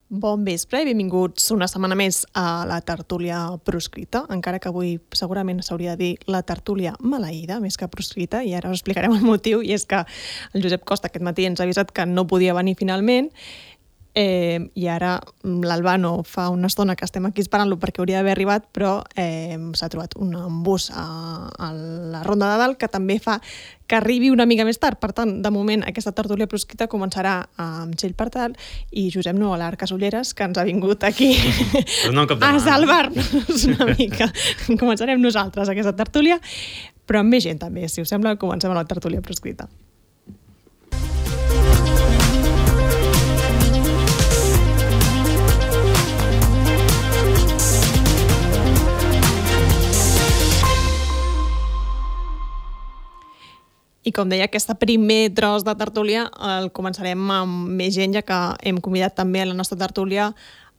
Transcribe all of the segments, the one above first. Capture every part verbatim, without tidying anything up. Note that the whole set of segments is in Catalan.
Bon vespre i benvinguts una setmana més a la tertúlia proscrita, encara que avui segurament s'hauria de dir la tertúlia maleïda, més que proscrita, i ara us explicarem el motiu, i és que el Josep Costa aquest matí ens ha avisat que no podia venir finalment, eh, i ara l'Albano fa una estona que estem aquí esperant-lo perquè hauria d'haver arribat, però eh, s'ha trobat un embús a, a la Ronda de Dalt que també fa que arribi una mica més tard. Per tant, de moment, aquesta tertúlia proscrita començarà amb Txell Partal i Josep Nuolar Casulleres, que ens ha vingut aquí no a salvar-nos una mica. Començarem nosaltres aquesta tertúlia, però amb més gent també. Si us sembla, comencem a la tertúlia proscrita. I com deia, aquest primer tros de tertúlia el començarem amb més gent, ja que hem convidat també a la nostra tertúlia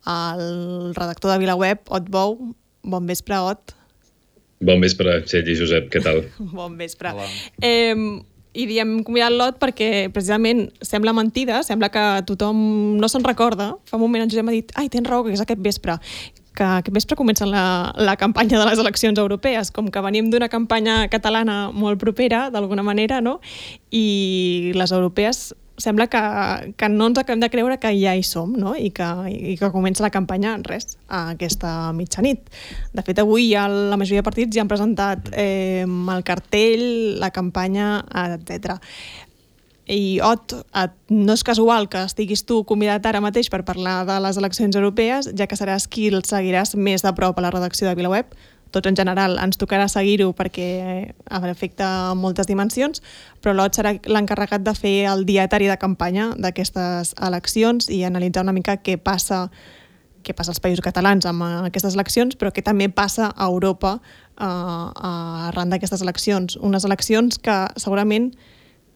el redactor de VilaWeb, Ot Bou. Bon vespre, Ot. Bon vespre, Txell i Josep, què tal? Bon vespre. Eh, I diem convidat l'Ot perquè precisament sembla mentida, sembla que tothom no se'n recorda. Fa un moment en Josep m'ha dit, ai, tens raó, que és aquest vespre. que aquest vespre comença la, la campanya de les eleccions europees, com que venim d'una campanya catalana molt propera, d'alguna manera, no? I les europees sembla que, que no ens acabem de creure que ja hi som, no? I que, i que comença la campanya en res, a aquesta mitjanit. De fet, avui ja la majoria de partits ja han presentat eh, el cartell, la campanya, etcètera. I, Ot, no és casual que estiguis tu convidat ara mateix per parlar de les eleccions europees, ja que seràs qui el seguiràs més de prop a la redacció de VilaWeb. Tots en general ens tocarà seguir-ho perquè afecta moltes dimensions, però l'Ot serà l'encarregat de fer el dietari de campanya d'aquestes eleccions i analitzar una mica què passa, què passa als països catalans amb aquestes eleccions, però què també passa a Europa eh, arran d'aquestes eleccions. Unes eleccions que segurament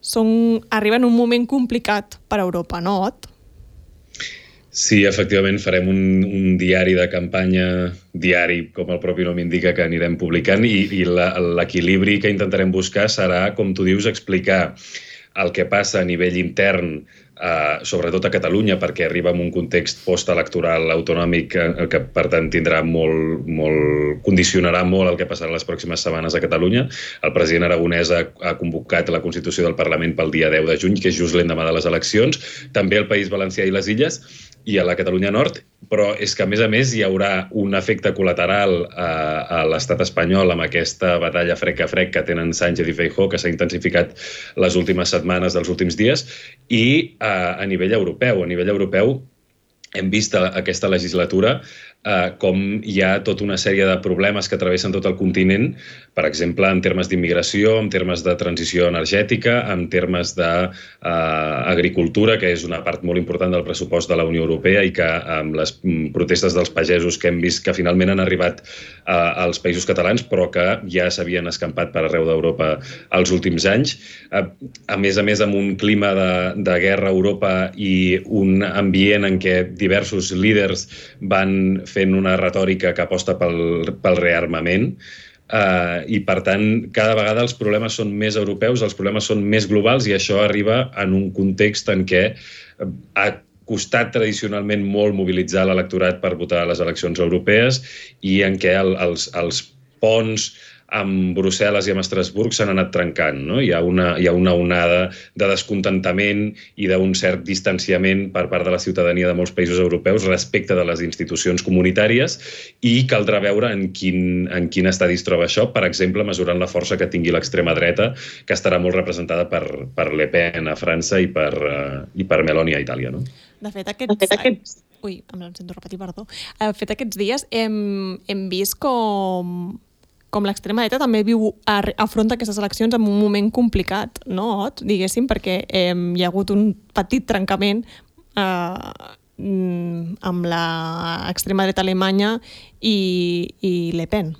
Són, arriben en un moment complicat per a Europa, no, Ot? Sí, efectivament, farem un, un diari de campanya, diari, com el propi nom indica, que anirem publicant, i, i l'equilibri que intentarem buscar serà, com tu dius, explicar el que passa a nivell intern, eh, sobretot a Catalunya, perquè arriba en un context postelectoral autonòmic que, que per tant tindrà molt, molt, condicionarà molt el que passarà les pròximes setmanes a Catalunya. El president Aragonès ha, ha convocat la Constitució del Parlament pel dia deu de juny, que és just l'endemà de les eleccions, també al País Valencià i les Illes, i a la Catalunya Nord, però és que, a més a més, hi haurà un efecte col·lateral a, a l'estat espanyol amb aquesta batalla frec a frec que tenen Sánchez i Feijóo, que s'ha intensificat les últimes setmanes dels últims dies, i a, a nivell europeu. A nivell europeu hem vist aquesta legislatura eh, com hi ha tota una sèrie de problemes que travessen tot el continent, per exemple, en termes d'immigració, en termes de transició energètica, en termes d'agricultura, eh, que és una part molt important del pressupost de la Unió Europea i que amb les protestes dels pagesos que hem vist que finalment han arribat eh, als països catalans, però que ja s'havien escampat per arreu d'Europa els últims anys. Eh, a més a més, amb un clima de, de guerra a Europa i un ambient en què diversos líders van fent una retòrica que aposta pel, pel rearmament, uh, i per tant cada vegada els problemes són més europeus, els problemes són més globals, i això arriba en un context en què ha costat tradicionalment molt mobilitzar l'electorat per votar a les eleccions europees i en què el, els, els ponts amb Brussel·les i amb Estrasburg s'han anat trencant, no? Hi ha una, hi ha una onada de descontentament i d'un cert distanciament per part de la ciutadania de molts països europeus respecte de les institucions comunitàries, i caldrà veure en quin, en quin estadi es troba això, per exemple, mesurant la força que tingui l'extrema dreta, que estarà molt representada per, per Le Pen a França i per, uh, i per Meloni a Itàlia, no? De fet, aquests... De fet, aquests... Ui, em sento repetir, perdó. De fet, aquests dies hem, hem vist com... com l'extrema dreta també viu, afronta aquestes eleccions en un moment complicat, no, Ot? Diguéssim, perquè eh, hi ha hagut un petit trencament eh, amb l'extrema dreta alemanya i, i Le Pen.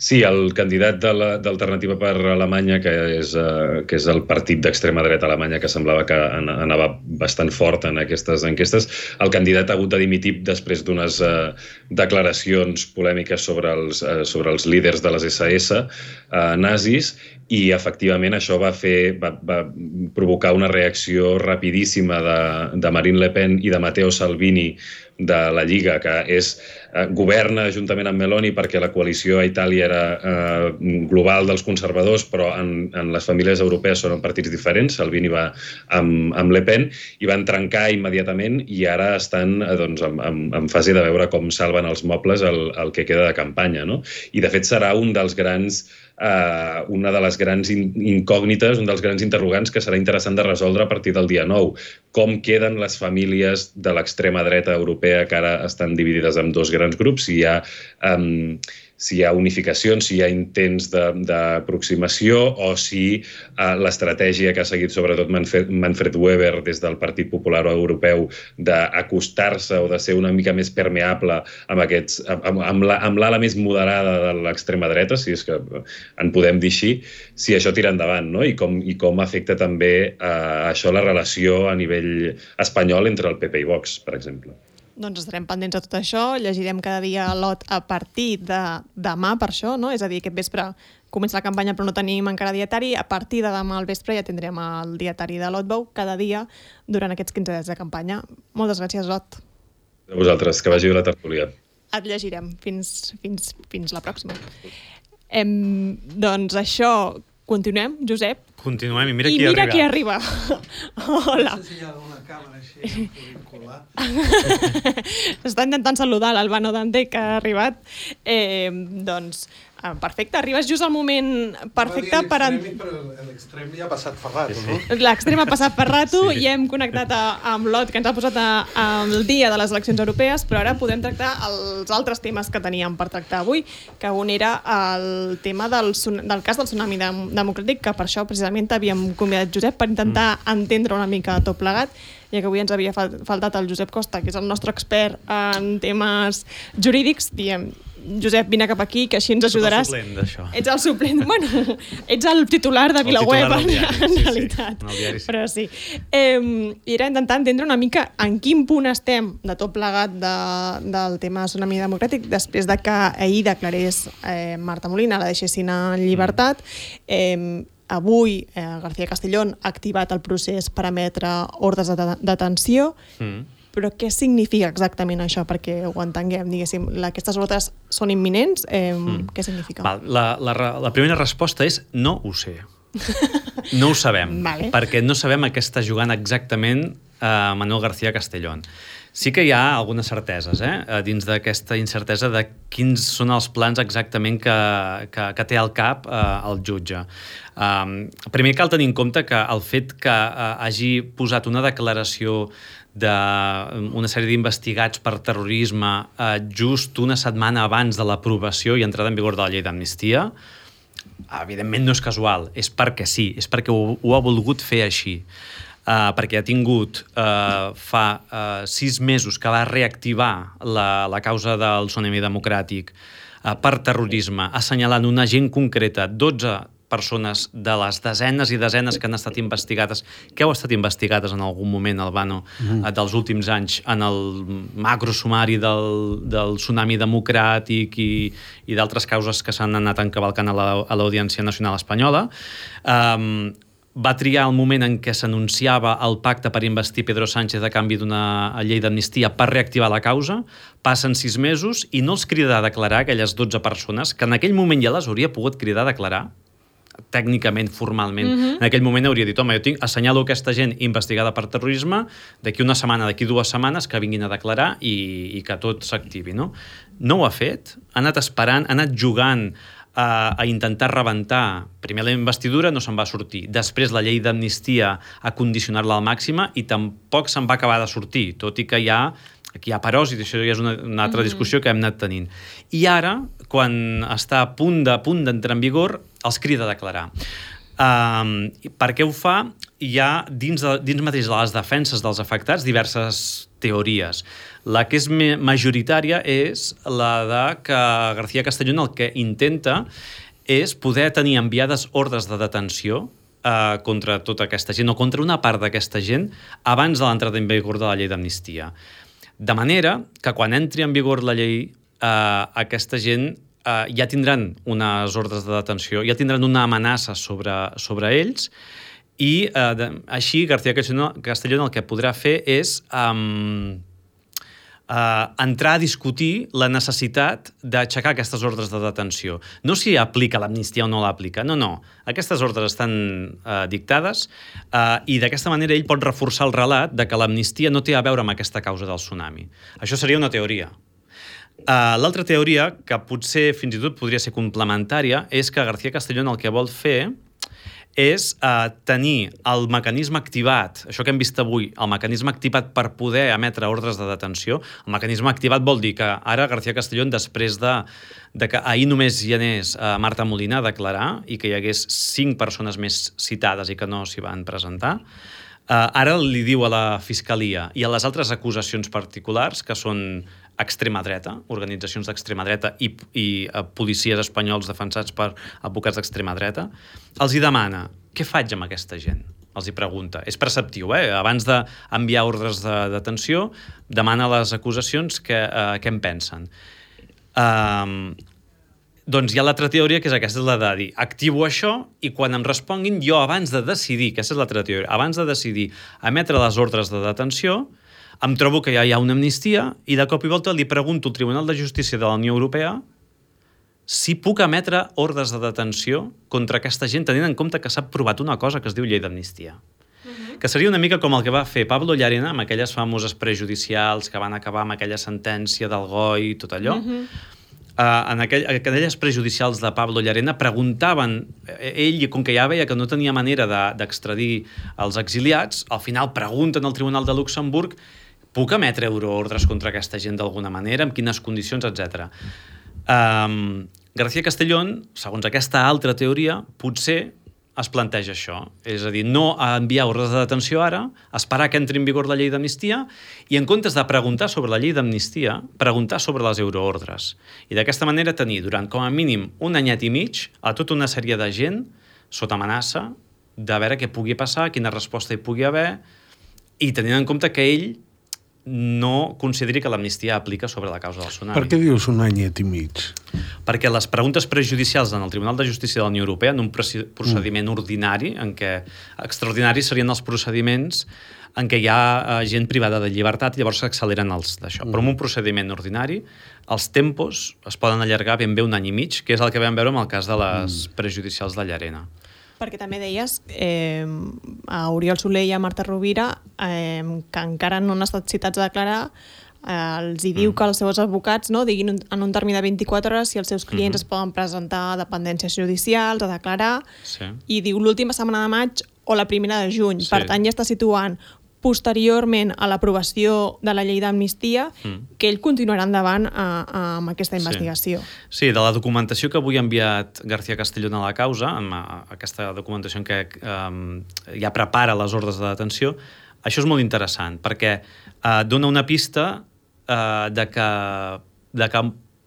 Sí, el candidat d'Alternativa per Alemanya, que és, uh, que és el partit d'extrema dreta alemanya, que semblava que anava bastant fort en aquestes enquestes, el candidat ha hagut de dimitir després d'unes uh, declaracions polèmiques sobre els, uh, sobre els líders de les esse esse uh, nazis, i efectivament això va, fer, va, va provocar una reacció rapidíssima de, de Marine Le Pen i de Matteo Salvini de la Lliga, que és, eh, governa juntament amb Meloni perquè la coalició a Itàlia era eh, global dels conservadors, però en, en les famílies europees són partits diferents. Salvini va amb, amb Le Pen i van trencar immediatament i ara estan eh, doncs, en, en, en fase de veure com salven els mobles el, el que queda de campanya, no? I de fet serà un dels grans Uh, una de les grans incògnites, un dels grans interrogants que serà interessant de resoldre a partir del dia nou. Com queden les famílies de l'extrema dreta europea que ara estan dividides en dos grans grups, si hi ha, um, si hi ha unificacions, si hi ha intents d'aproximació o si uh, l'estratègia que ha seguit sobretot Manfred, Manfred Weber des del Partit Popular Europeu d'acostar-se o de ser una mica més permeable amb, aquests, amb, amb l'ala més moderada de l'extrema dreta, si és que en podem dir així, si això tira endavant, no? I com, i com afecta també uh, això la relació a nivell espanyol entre el P P i Vox, per exemple. Doncs estarem pendents de tot això, llegirem cada dia l'O T a partir de demà per això, no? És a dir, aquest vespre comença la campanya però no tenim encara dietari, a partir de demà al vespre ja tindrem el dietari de l'O T B O cada dia durant aquests quinze dies de campanya. Moltes gràcies, O T. A vosaltres, que vagi bé la tertúlia. Et llegirem. Fins, fins, fins la pròxima. Em, doncs això, continuem, Josep? Continuem, i mira I qui mira arriba. qui arriba. Hola. No sé si hi ha alguna càmera així, colar. Està intentant saludar l'Albano Dante, que ha arribat. Eh, doncs, perfecte, arribes just al moment perfecte per... En... Però l'extrem ja ha passat fa rato, no? L'extrem ha passat per rato Sí. i hem connectat a, amb l'O T, que ens ha posat a, al dia de les eleccions europees, però ara podem tractar els altres temes que teníem per tractar avui, que un era el tema del, del cas del tsunami democràtic, que per això precisament havíem convidat Josep per intentar mm. entendre una mica tot plegat, ja que avui ens havia faltat el Josep Costa, que és el nostre expert en temes jurídics. Diem, Josep, vine cap aquí, que així ens ajudaràs. Soc el suplent d'això. Ets el suplent, bueno, ets el titular de VilaWeb, en, diari, en sí, realitat. Sí, en el diari, sí. Però sí. Eh, I era intentar entendre una mica en quin punt estem de tot plegat de, del tema tsunami democràtic després de que ahir declarés eh, Marta Molina, la deixessin en llibertat. Eh, avui eh, García Castellón ha activat el procés per emetre ordres de detenció. Mm. Però què significa exactament això? Perquè ho entenguem, diguéssim, aquestes ordres són imminents? Eh, mm. Què significa? Val, la, la, la primera resposta és no ho sé. No ho sabem, vale. Perquè no sabem a què està jugant exactament eh, Manuel García Castellón. Sí que hi ha algunes certeses, eh, dins d'aquesta incertesa de quins són els plans exactament que, que, que té al cap eh, el jutge. Um, primer cal tenir en compte que el fet que eh, hagi posat una declaració d'una sèrie d'investigats per terrorisme eh, just una setmana abans de l'aprovació i entrada en vigor de la llei d'amnistia, evidentment no és casual, és perquè sí, és perquè ho, ho ha volgut fer així. Uh, perquè ha tingut uh, fa uh, sis mesos que va reactivar la, la causa del tsunami democràtic uh, per terrorisme, assenyalant una gent concreta, dotze persones de les desenes i desenes que han estat investigades, que heu estat investigades en algun moment, Albano, mm. dels últims anys, en el macrosumari del, del tsunami democràtic i, i d'altres causes que s'han anat encavalcant a l'Audiència Nacional Espanyola. Um, va triar el moment en què s'anunciava el pacte per investir Pedro Sánchez a canvi d'una llei d'amnistia per reactivar la causa. Passen sis mesos i no els crida a declarar aquelles dotze persones que en aquell moment ja les hauria pogut cridar a declarar, tècnicament, formalment. Mm-hmm. En aquell moment hauria dit, home, jo tinc, assenyalo aquesta gent investigada per terrorisme, d'aquí una setmana, d'aquí dues setmanes, que vinguin a declarar i, i que tot s'activi, no? No ho ha fet, ha anat esperant, ha anat jugant a, a intentar rebentar. Primer la investidura no se'n va sortir, després la llei d'amnistia a condicionar-la al màxima i tampoc se'n va acabar de sortir, tot i que hi ha aquí hi ha paròsit, això ja és una, una altra discussió que hem anat tenint. I ara, quan està a punt de punt d'entrar en vigor, els crida a declarar. Um, per què ho fa? Hi ha, dins, de, dins mateix de les defenses dels afectats, diverses teories. La que és majoritària és la de que García Castellón el que intenta és poder tenir enviades ordres de detenció eh, contra tota aquesta gent o contra una part d'aquesta gent abans de l'entrada en vigor de la llei d'amnistia. De manera que quan entri en vigor la llei, eh, aquesta gent eh, ja tindran unes ordres de detenció, ja tindran una amenaça sobre, sobre ells i eh, de, així García Castellón el que podrà fer és um, Uh, entrar a discutir la necessitat d'aixecar aquestes ordres de detenció. No si aplica l'amnistia o no l'aplica, no, no. Aquestes ordres estan uh, dictades uh, i d'aquesta manera ell pot reforçar el relat de que l'amnistia no té a veure amb aquesta causa del tsunami. Això seria una teoria. Uh, L'altra teoria, que potser fins i tot podria ser complementària, és que García Castellón el que vol fer és eh, tenir el mecanisme activat, això que hem vist avui, el mecanisme activat per poder emetre ordres de detenció. El mecanisme activat vol dir que ara García Castellón, després de, de que ahir només hi anés eh, Marta Molina a declarar i que hi hagués cinc persones més citades i que no s'hi van presentar, eh, ara li diu a la Fiscalia i a les altres acusacions particulars, que són extrema dreta, organitzacions d'extrema dreta i, i uh, policies espanyols defensats per advocats d'extrema dreta, els hi demana, què faig amb aquesta gent? Els hi pregunta. És preceptiu, eh? Abans d'enviar ordres de detenció, demana a les acusacions què, uh, què en pensen. Um, doncs hi ha l'altra teoria, que és aquesta, és la de dir, activo això i quan em responguin, jo abans de decidir, aquesta és l'altra teoria, abans de decidir emetre les ordres de detenció, em trobo que ja hi ha una amnistia i de cop i volta li pregunto al Tribunal de Justícia de la Unió Europea si puc emetre ordres de detenció contra aquesta gent tenint en compte que s'ha aprovat una cosa que es diu llei d'amnistia. Uh-huh. Que seria una mica com el que va fer Pablo Llarena amb aquelles famoses prejudicials que van acabar amb aquella sentència del G O I i tot allò. Uh-huh. Uh, en aquell, aquelles prejudicials de Pablo Llarena preguntaven, ell, com que ja veia que no tenia manera d'extradir els exiliats, al final pregunten al Tribunal de Luxemburg, puc emetre euroordres contra aquesta gent d'alguna manera, amb quines condicions, etcètera. Um, García Castellón, segons aquesta altra teoria, potser es planteja això. És a dir, no enviar ordres de detenció ara, esperar que entri en vigor la llei d'amnistia i en comptes de preguntar sobre la llei d'amnistia, preguntar sobre les euroordres. I d'aquesta manera tenir durant com a mínim un anyet i mig a tota una sèrie de gent sota amenaça de veure què pugui passar, quina resposta hi pugui haver i tenint en compte que ell no consideri que l'amnistia aplica sobre la causa del tsunami. Per què dius un anyet i mig? Perquè les preguntes prejudicials en el Tribunal de Justícia de la Unió Europea, en un procediment mm. ordinari, en què extraordinaris serien els procediments en què hi ha uh, gent privada de llibertat i llavors s'acceleren els d'això. Mm. Però en un procediment ordinari, els tempos es poden allargar ben bé un any i mig, que és el que vam veure amb el cas de les mm. prejudicials de Llarena. Perquè també deies eh, a Oriol Soler i a Marta Rovira eh, que encara no han estat citats a declarar, eh, els hi diu mm. que els seus advocats no, diguin en un termini de vint-i-quatre hores si els seus clients mm-hmm. es poden presentar a dependències judicials, a declarar, sí. I diu l'última setmana de maig o la primera de juny. Sí. Per tant, ja està situant posteriorment a l'aprovació de la llei d'amnistia, mm. que ell continuarà endavant a, a, amb aquesta investigació. Sí. sí, de la documentació que avui ha enviat García Castellón a la causa, amb aquesta documentació en què um, ja prepara les ordres de detenció, això és molt interessant, perquè uh, dona una pista uh, de, que, de que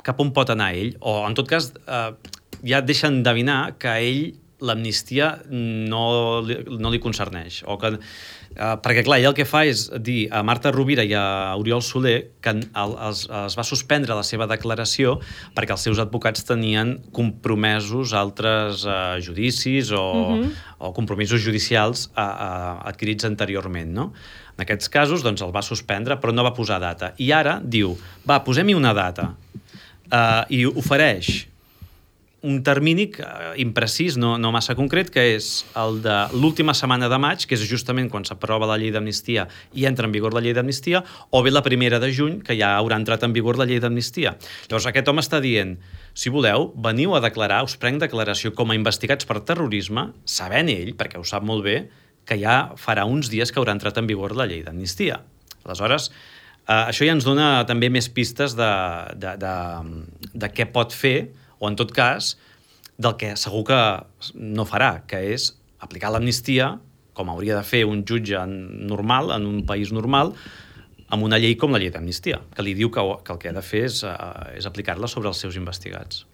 cap on pot anar ell, o en tot cas uh, ja deixa endevinar que a ell l'amnistia no li, no li concerneix, o que Uh, perquè, clar, ell el que fa és dir a Marta Rovira i a Oriol Soler que el, els, es va suspendre la seva declaració perquè els seus advocats tenien compromesos altres uh, judicis o, uh-huh. o compromisos judicials uh, uh, adquirits anteriorment, no? En aquests casos, doncs, el va suspendre, però no va posar data. I ara diu, va, posem-hi una data. Uh, I ofereix un termini imprecís, no, no massa concret, que és el de l'última setmana de maig, que és justament quan s'aprova la llei d'amnistia i entra en vigor la llei d'amnistia, o bé la primera de juny, que ja haurà entrat en vigor la llei d'amnistia. Llavors aquest home està dient, si voleu, veniu a declarar, us prenc declaració com a investigats per terrorisme, sabent ell, perquè ho sap molt bé, que ja farà uns dies que haurà entrat en vigor la llei d'amnistia. Aleshores, eh, això ja ens dona també més pistes de, de, de, de què pot fer, o en tot cas, del que segur que no farà, que és aplicar l'amnistia, com hauria de fer un jutge normal, en un país normal, amb una llei com la llei d'amnistia, que li diu que, que el que ha de fer és, uh, és aplicar-la sobre els seus investigats.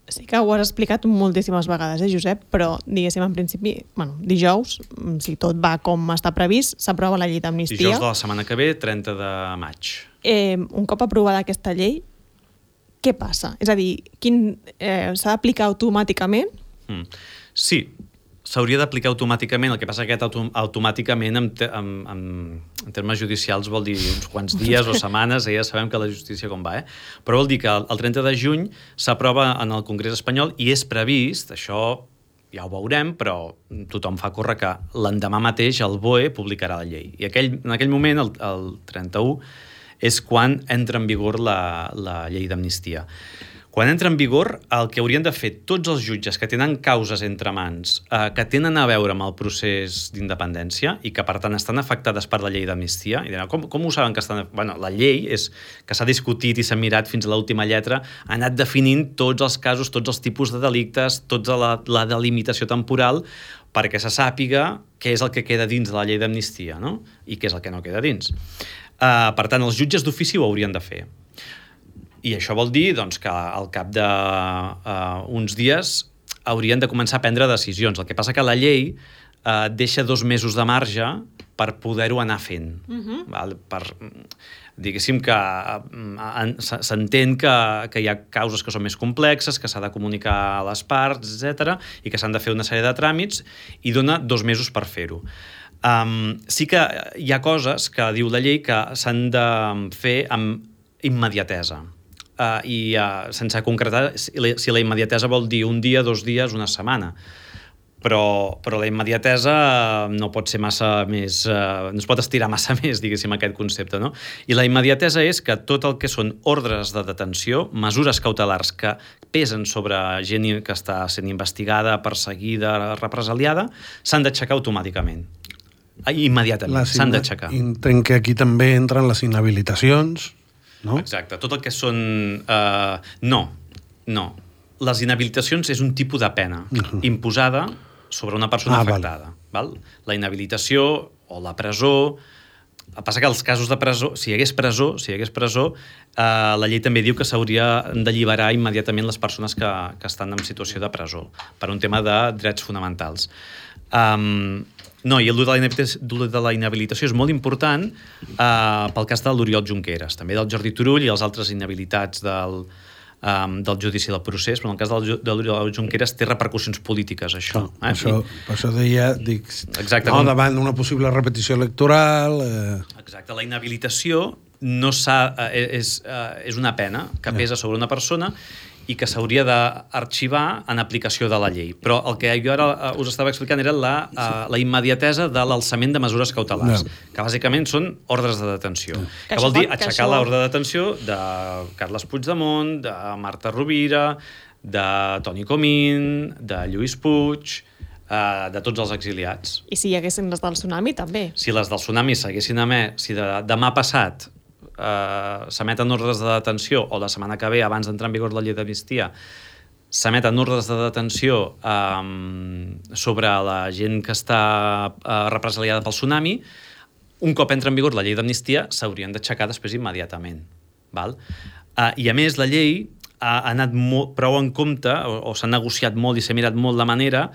Sí que ho has explicat moltíssimes vegades, eh, Josep, però, diguéssim, en principi, bueno, dijous, si tot va com està previst, s'aprova la llei d'amnistia. Dijous de la setmana que ve, trenta de maig. Eh, un cop aprovada aquesta llei, què passa? És a dir, quin, eh, s'ha d'aplicar automàticament? Mm. Sí, s'hauria d'aplicar automàticament, el que passa que aquest autom automàticament en, te en, en, en termes judicials vol dir uns quants dies o setmanes, eh? Ja sabem que la justícia com va, eh? Però vol dir que el trenta de juny s'aprova en el Congrés espanyol i és previst, això ja ho veurem, però tothom fa córrer que l'endemà mateix el B O E publicarà la llei. I aquell, en aquell moment, el, el trenta-u, és quan entra en vigor la, la llei d'amnistia. Quan entra en vigor, el que haurien de fer tots els jutges que tenen causes entre mans, eh, que tenen a veure amb el procés d'independència i que, per tant, estan afectades per la llei d'amnistia, i diran, com, com ho saben que estan... Bueno, la llei és que s'ha discutit i s'ha mirat fins a l'última lletra, ha anat definint tots els casos, tots els tipus de delictes, tota la, la delimitació temporal, perquè se sàpiga què és el que queda dins de la llei d'amnistia, no? I què és el que no queda dins. Eh, per tant, els jutges d'ofici ho haurien de fer. I això vol dir doncs, que al cap d'uns uh, dies haurien de començar a prendre decisions. El que passa que la llei uh, deixa dos mesos de marge per poder-ho anar fent. Uh-huh. Val? Per, diguéssim que uh, s'entén que, que hi ha causes que són més complexes, que s'ha de comunicar a les parts, etcètera, i que s'han de fer una sèrie de tràmits, i dona dos mesos per fer-ho. Um, sí que hi ha coses que diu la llei que s'han de fer amb immediatesa. Uh, i uh, sense concretar si la, si la immediatesa vol dir un dia, dos dies, una setmana. Però, però la immediatesa no pot ser massa més... Uh, no es pot estirar massa més, diguéssim, aquest concepte, no? I la immediatesa és que tot el que són ordres de detenció, mesures cautelars que pesen sobre gent que està sent investigada, perseguida, represaliada, s'han d'aixecar automàticament. Immediatament, s'han d'aixecar. Entenc que aquí també entren les inhabilitacions, no? Exacte. Tot el que són... Uh, no, no. Les inhabilitacions és un tipus de pena uh-huh. imposada sobre una persona ah, afectada. Val. Val? La inhabilitació o la presó... El que passa que els casos de presó, si hi hagués presó, si hi hagués presó, eh, la llei també diu que s'hauria d'alliberar immediatament les persones que, que estan en situació de presó, per un tema de drets fonamentals. Um, no, i el de la inhabilitació és molt important uh, pel cas de l'Oriol Junqueras, també del Jordi Turull i els altres inhabilitats del, um, del judici del procés, però en el cas del, de l'Oriol Junqueras té repercussions polítiques, això. No, eh? això, I, per això deia, dic, exacte, no, com... davant d'una possible repetició electoral... Eh... Exacte, la inhabilitació no s'ha, eh, és, eh, és una pena que pesa sobre una persona i que s'hauria d'arxivar en aplicació de la llei. Però el que jo ara us estava explicant era la, uh, la immediatesa de l'alçament de mesures cautelars, no. que bàsicament són ordres de detenció. No. Que, que vol dir aixecar això... l'ordre de detenció de Carles Puigdemont, de Marta Rovira, de Toni Comín, de Lluís Puig, uh, de tots els exiliats. I si hi haguessin les del tsunami, també. Si les del tsunami s'haguessin emès, si de, demà passat Uh, s'emeten ordres de detenció, o la setmana que ve, abans d'entrar en vigor la llei d'amnistia, s'emeten ordres de detenció um, sobre la gent que està uh, represaliada pel tsunami, un cop entra en vigor la llei d'amnistia, s'haurien d'aixecar després immediatament. Val? Uh, I a més, la llei ha anat molt, prou en compte, o, o s'ha negociat molt i s'ha mirat molt la manera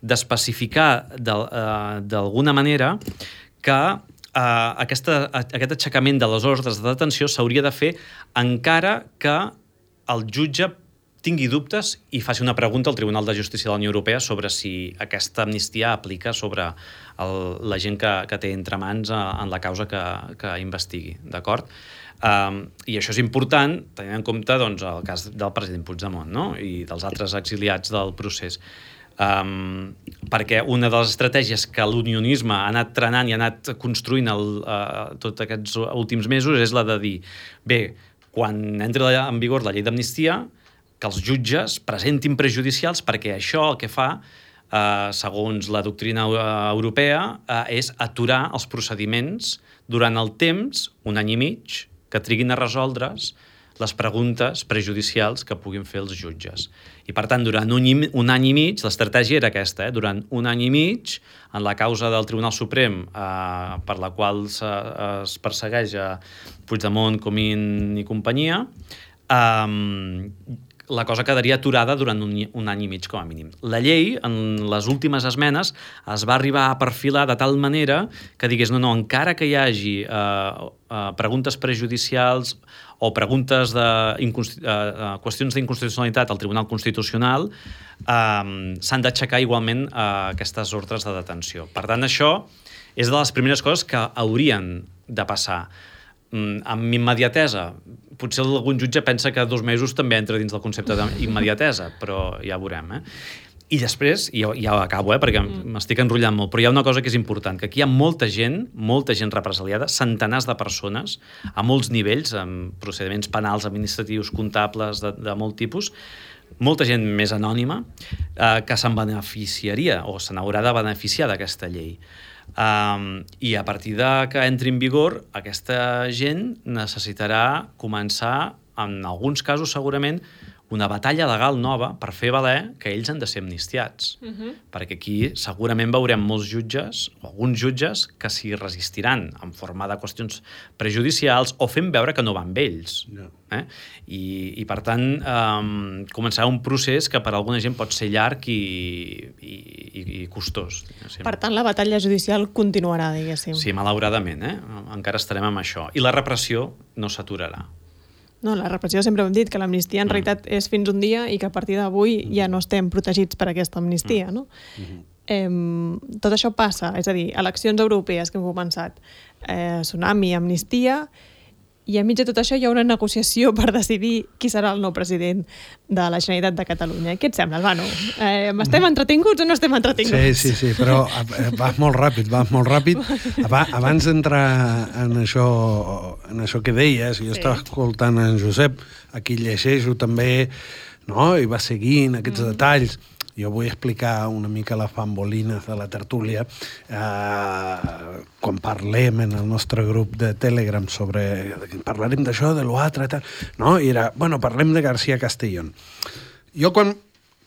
d'especificar d'alguna uh, manera que Uh, aquesta, aquest aixecament de les ordres de detenció s'hauria de fer encara que el jutge tingui dubtes i faci una pregunta al Tribunal de Justícia de la Unió Europea sobre si aquesta amnistia aplica sobre el, la gent que, que té entre mans uh, en la causa que, que investigui, d'acord? Um, I això és important tenint en compte doncs, el cas del president Puigdemont, no? I dels altres exiliats del procés. Um, perquè una de les estratègies que l'unionisme ha anat trenant i ha anat construint el, uh, tots aquests últims mesos és la de dir, bé, quan entri en vigor la llei d'amnistia, que els jutges presentin prejudicials perquè això el que fa, uh, segons la doctrina europea, uh, és aturar els procediments durant el temps, un any i mig, que triguin a resoldre's les preguntes prejudicials que puguin fer els jutges. I, per tant, durant un, un any i mig, l'estratègia era aquesta, eh? Durant un any i mig, en la causa del Tribunal Suprem, eh, per la qual se, es persegueix a Puigdemont, Comín i companyia, eh, la cosa quedaria aturada durant un, un any i mig, com a mínim. La llei, en les últimes esmenes, es va arribar a perfilar de tal manera que digués, no, no, encara que hi hagi eh, eh, preguntes prejudicials o preguntes de uh, uh, qüestions d'inconstitucionalitat al Tribunal Constitucional, uh, s'han d'aixecar igualment uh, aquestes ordres de detenció. Per tant, això és de les primeres coses que haurien de passar. Mm, amb immediatesa, potser algun jutge pensa que dos mesos també entra dins del concepte d'immediatesa, però ja veurem, eh? I després, i ja, ja acabo, eh, perquè m'estic enrotllant molt, però hi ha una cosa que és important, que aquí hi ha molta gent, molta gent represaliada, centenars de persones, a molts nivells, amb procediments penals, administratius, comptables, de, de molt tipus, molta gent més anònima, eh, que se'n beneficiaria o se n'haurà de beneficiar d'aquesta llei. Um, I a partir de que entri en vigor, aquesta gent necessitarà començar, en alguns casos segurament, una batalla legal nova per fer valer que ells han de ser amnistiats. Uh-huh. Perquè aquí segurament veurem molts jutges, o alguns jutges, que s'hi resistiran en forma de qüestions prejudicials o fent veure que no van amb ells. No. Eh? I, I, per tant, um, començarà un procés que per a alguna gent pot ser llarg i, i, i, i costós. Diguéssim. Per tant, la batalla judicial continuarà, diguéssim. Sí, malauradament, eh? Encara estarem amb això. I la repressió no s'aturarà. No, la repressió sempre ho hem dit, que l'amnistia en mm. realitat és fins un dia i que a partir d'avui ja no estem protegits per aquesta amnistia, no? Mm-hmm. Eh, tot això passa, és a dir, eleccions europees que hem començat, eh, tsunami, amnistia, i enmig de tot això hi ha una negociació per decidir qui serà el nou president de la Generalitat de Catalunya. Què et sembla, Albano? Eh, estem entretinguts o no estem entretinguts? Sí, sí, sí, però vas molt ràpid, vas molt ràpid. Abans d'entrar en això, en això que deies, jo sí. estava escoltant en Josep, aquí llegeixo també, no? I va seguint aquests mm. detalls. Jo vull explicar una mica les bambolines de la tertúlia. Eh, quan parlem en el nostre grup de Telegram sobre... Parlarem d'això, de l'altre, tal... No? I era, bueno, parlem de García Castellón. Jo quan...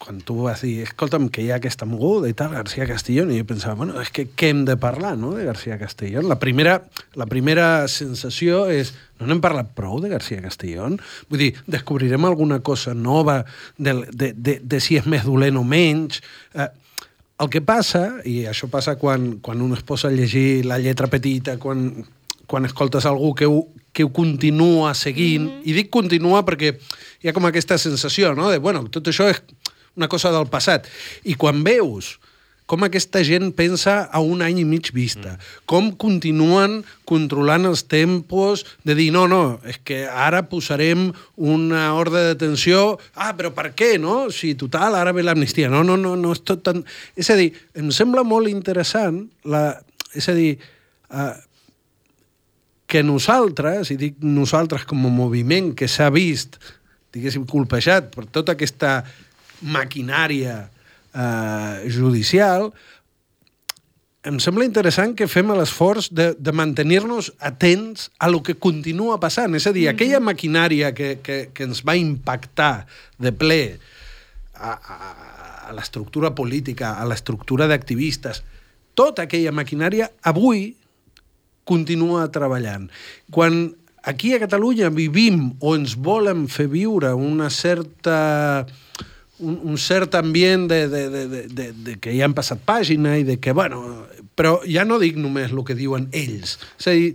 quan tu vas dir, escolta'm, que hi ha aquesta moguda i tal, García Castellón, i jo pensava, bueno, és que què hem de parlar, no?, de García Castellón. La primera, la primera sensació és, no n'hem parlat prou de García Castellón? Vull dir, descobrirem alguna cosa nova de, de, de, de si és més dolent o menys? Eh, el que passa, i això passa quan, quan un es posa a llegir la lletra petita, quan, quan escoltes algú que ho, que ho continua seguint, mm-hmm. i dic continua perquè hi ha com aquesta sensació, no?, de, bueno, tot això és una cosa del passat. I quan veus com aquesta gent pensa a un any i mig vista, mm. com continuen controlant els tempos de dir, no, no, és que ara posarem una ordre de detenció, ah, però per què, no? Si total, ara ve l'amnistia. No, no, no, no és tot tan... És a dir, em sembla molt interessant, la... és a dir, uh, que nosaltres, i dic nosaltres com a moviment que s'ha vist, diguéssim, colpejat per tota aquesta maquinària eh, judicial, em sembla interessant que fem l'esforç de, de mantenir-nos atents a lo que continua passant. És a dir, mm-hmm. aquella maquinària que, que, que ens va impactar de ple a, a, a l'estructura política, a l'estructura d'activistes, tota aquella maquinària avui continua treballant. Quan aquí a Catalunya vivim o ens volen fer viure una certa... Un, un cert ambient de, de, de, de, de, de que ja han passat pàgina i de que, bueno, però ja no dic només el que diuen ells, és a dir,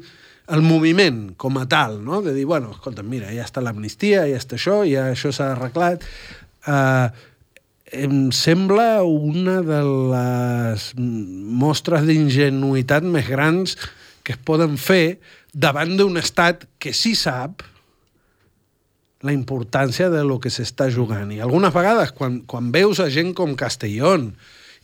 el moviment com a tal, no? De dir, bueno, escolta, mira, ja està l'amnistia, ja està això, ja això s'ha arreglat. Uh, em sembla una de les mostres d'ingenuïtat més grans que es poden fer davant d'un estat que sí sap la importància de lo que s'està jugant. I algunes vegades, quan, quan veus a gent com Castellón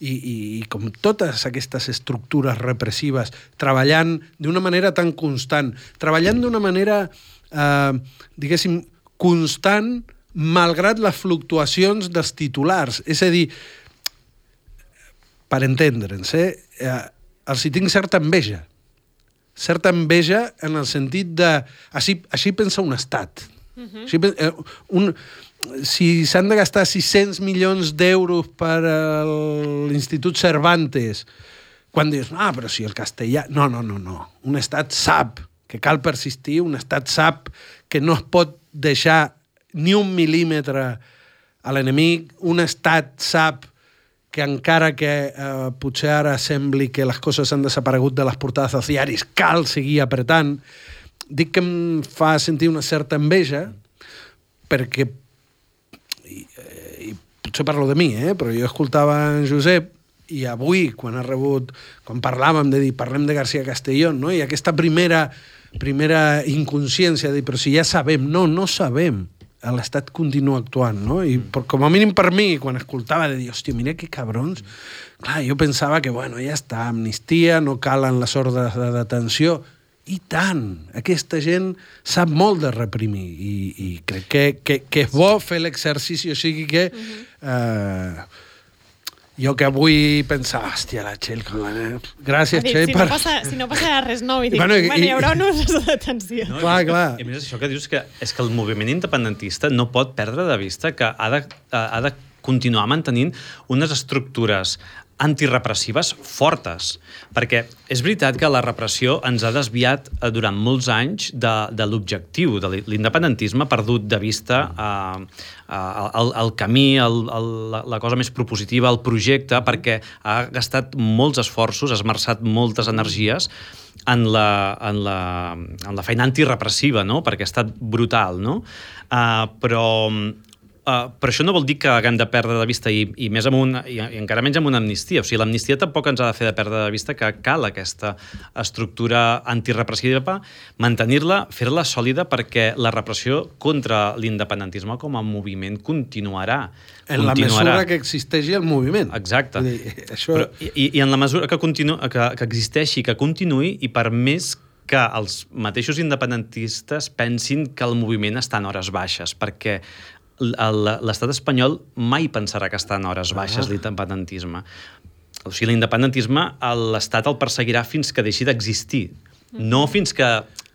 i, i, i com totes aquestes estructures repressives treballant d'una manera tan constant, treballant d'una manera, eh, diguéssim, constant, malgrat les fluctuacions dels titulars. És a dir, per entendre'ns, eh, eh, els hi tinc certa enveja. Certa enveja en el sentit de... Així, així pensa un estat. Uh-huh. Si, un, si s'han de gastar sis-cents milions d'euros per a l'Institut Cervantes, quan dius, ah, però si el castellà... No, no, no, no. Un estat sap que cal persistir, un estat sap que no es pot deixar ni un mil·límetre a l'enemic, un estat sap que encara que eh, potser ara sembli que les coses han desaparegut de les portades dels diaris, cal seguir apretant. Dic que em fa sentir una certa enveja, perquè, i, i potser parlo de mi, eh, però jo escoltava en Josep, i avui, quan ha rebut, quan parlàvem de dir, parlem de García Castellón, no? I aquesta primera, primera inconsciència de dir, però si ja sabem, no, no sabem. L'Estat continua actuant, no? I per, com a mínim per mi, quan escoltava de dir, hòstia, mira que cabrons, clar, jo pensava que, bueno, ja està, amnistia, no calen les ordres de detenció, i tant, aquesta gent sap molt de reprimir, i, i crec que, que, que és bo fer l'exercici, o sigui que... Eh, jo que avui pensava, hòstia, la Txell... Gràcies, dit, Txell, si per... No passa, si no passa res nou, i dic, Bueno, bueno, i- hi haurà unes de detenció. No, Clar, i- clar. I a més, això que dius que és que el moviment independentista no pot perdre de vista que ha de, ha de continuar mantenint unes estructures antirepressives fortes, perquè és veritat que la repressió ens ha desviat eh, durant molts anys de, de l'objectiu, de l'independentisme, ha perdut de vista eh, eh, el, el camí, el, el, la, la cosa més propositiva, el projecte, perquè ha gastat molts esforços, ha esmerçat moltes energies en la, en la, en la feina antirepressiva, no? Perquè ha estat brutal, no? Uh, però... Uh, però això no vol dir que haguem de perdre de vista i, i, més amb un, i, i encara menys amb una amnistia. O sigui, l'amnistia tampoc ens ha de fer de perdre de vista que cal aquesta estructura antirepressiva, mantenir-la, fer-la sòlida, perquè la repressió contra l'independentisme com a moviment continuarà. En la continuarà. mesura que existeixi el moviment. Exacte. Vull dir, això... Però, i, I en la mesura que, continu, que, que existeixi, que continuï, i per més que els mateixos independentistes pensin que el moviment està en hores baixes, perquè l'estat espanyol mai pensarà que està en hores baixes, ah. l'independentisme. O sigui, l'independentisme l'estat el perseguirà fins que deixi d'existir, no fins que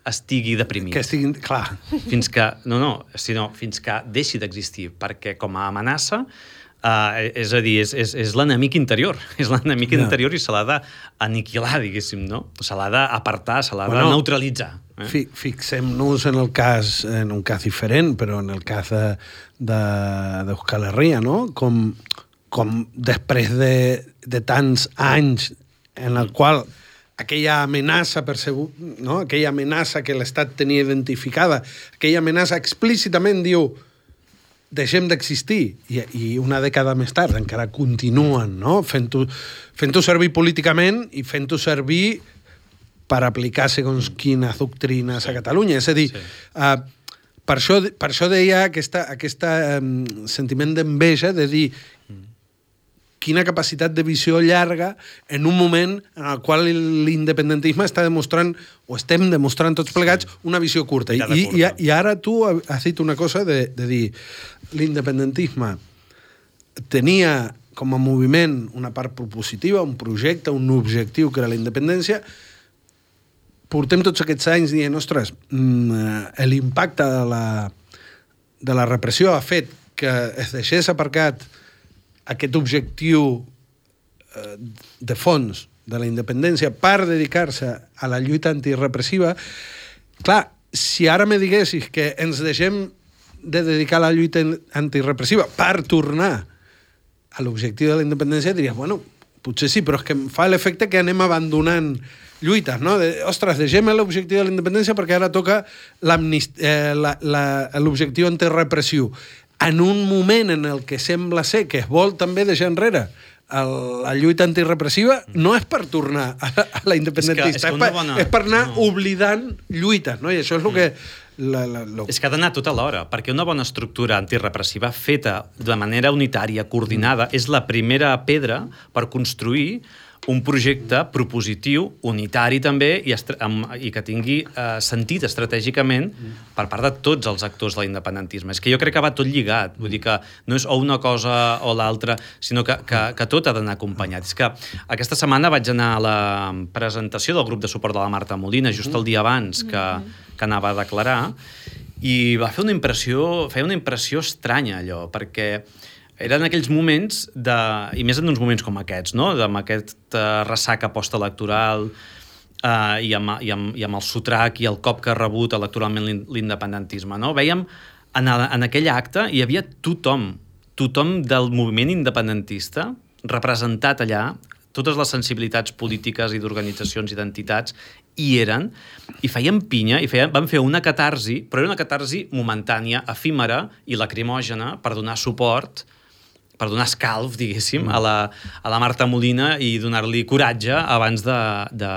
estigui deprimit. Que estiguin... Clar. Fins que... No, no, sinó fins que deixi d'existir, perquè com a amenaça, uh, és a dir, és, és, és l'enemic interior, és l'enemic Ja. interior i se l'ha d'aniquilar, diguéssim, no? Se l'ha d'apartar, se l'ha Bueno, de neutralitzar. Eh? Fi, fixem-nos en el cas, en un cas diferent, però en el cas de, de, d'Euskal Herria, no? Com, com després de, de tants anys en el qual aquella amenaça percebut, no? Aquella amenaça que l'Estat tenia identificada, aquella amenaça explícitament diu deixem d'existir, I, i una dècada més tard encara continuen, no? Fent-ho fent-ho servir políticament i fent-ho servir per aplicar segons quines doctrines a Catalunya. És a dir, sí. uh, per, això, per això deia aquesta, aquesta um, sentiment d'enveja de dir quina capacitat de visió llarga en un moment en el qual l'independentisme està demostrant, o estem demostrant tots plegats, una visió curta. I, i, i, i ara tu has dit una cosa de, de dir l'independentisme tenia com a moviment una part propositiva, un projecte, un objectiu que era la independència. Portem tots aquests anys dient, ostres, l'impacte de la, de la repressió ha fet que es deixés aparcat aquest objectiu eh, de fons de la independència per dedicar-se a la lluita antirepressiva. Clar, si ara me diguessis que ens deixem de dedicar a la lluita antirepressiva per tornar a l'objectiu de la independència, diries, bueno, potser sí, però és que em fa l'efecte que anem abandonant lluites, no? De, ostres, deixem l'objectiu de la independència perquè ara toca eh, l'objectiu antirepressiu. En un moment en el que sembla ser que es vol també deixar enrere el, la lluita antirepressiva, no és per tornar a, a la independentista, és, que, és, que és, per, bona... és per anar no. oblidant lluites, no? I això és el que... La, la, la... És que ha d'anar tot alhora, perquè una bona estructura antirepressiva feta de manera unitària, coordinada, mm. és la primera pedra per construir un projecte propositiu, unitari també, i, i que tingui eh, sentit estratègicament per part de tots els actors de l'independentisme. És que jo crec que va tot lligat, vull dir que no és o una cosa o l'altra, sinó que, que, que tot ha d'anar acompanyat. És que aquesta setmana vaig anar a la presentació del grup de suport de la Marta Molina, just el dia abans que, que anava a declarar, i va fer una impressió, feia una impressió estranya allò, perquè eren aquells moments, de, i més en uns moments com aquests, no? amb aquesta ressaca postelectoral eh, i, amb, i, amb, i amb el sotrac i el cop que ha rebut electoralment l'independentisme. No? Veiem, en, en aquell acte hi havia tothom, tothom del moviment independentista representat allà, totes les sensibilitats polítiques i d'organitzacions i d'entitats hi eren, i feien pinya, i feien, van fer una catarsi, però era una catarsi momentània, efímera i lacrimògena per donar suport, per donar escalf, diguéssim, a la, a la Marta Molina i donar-li coratge abans d'anar de,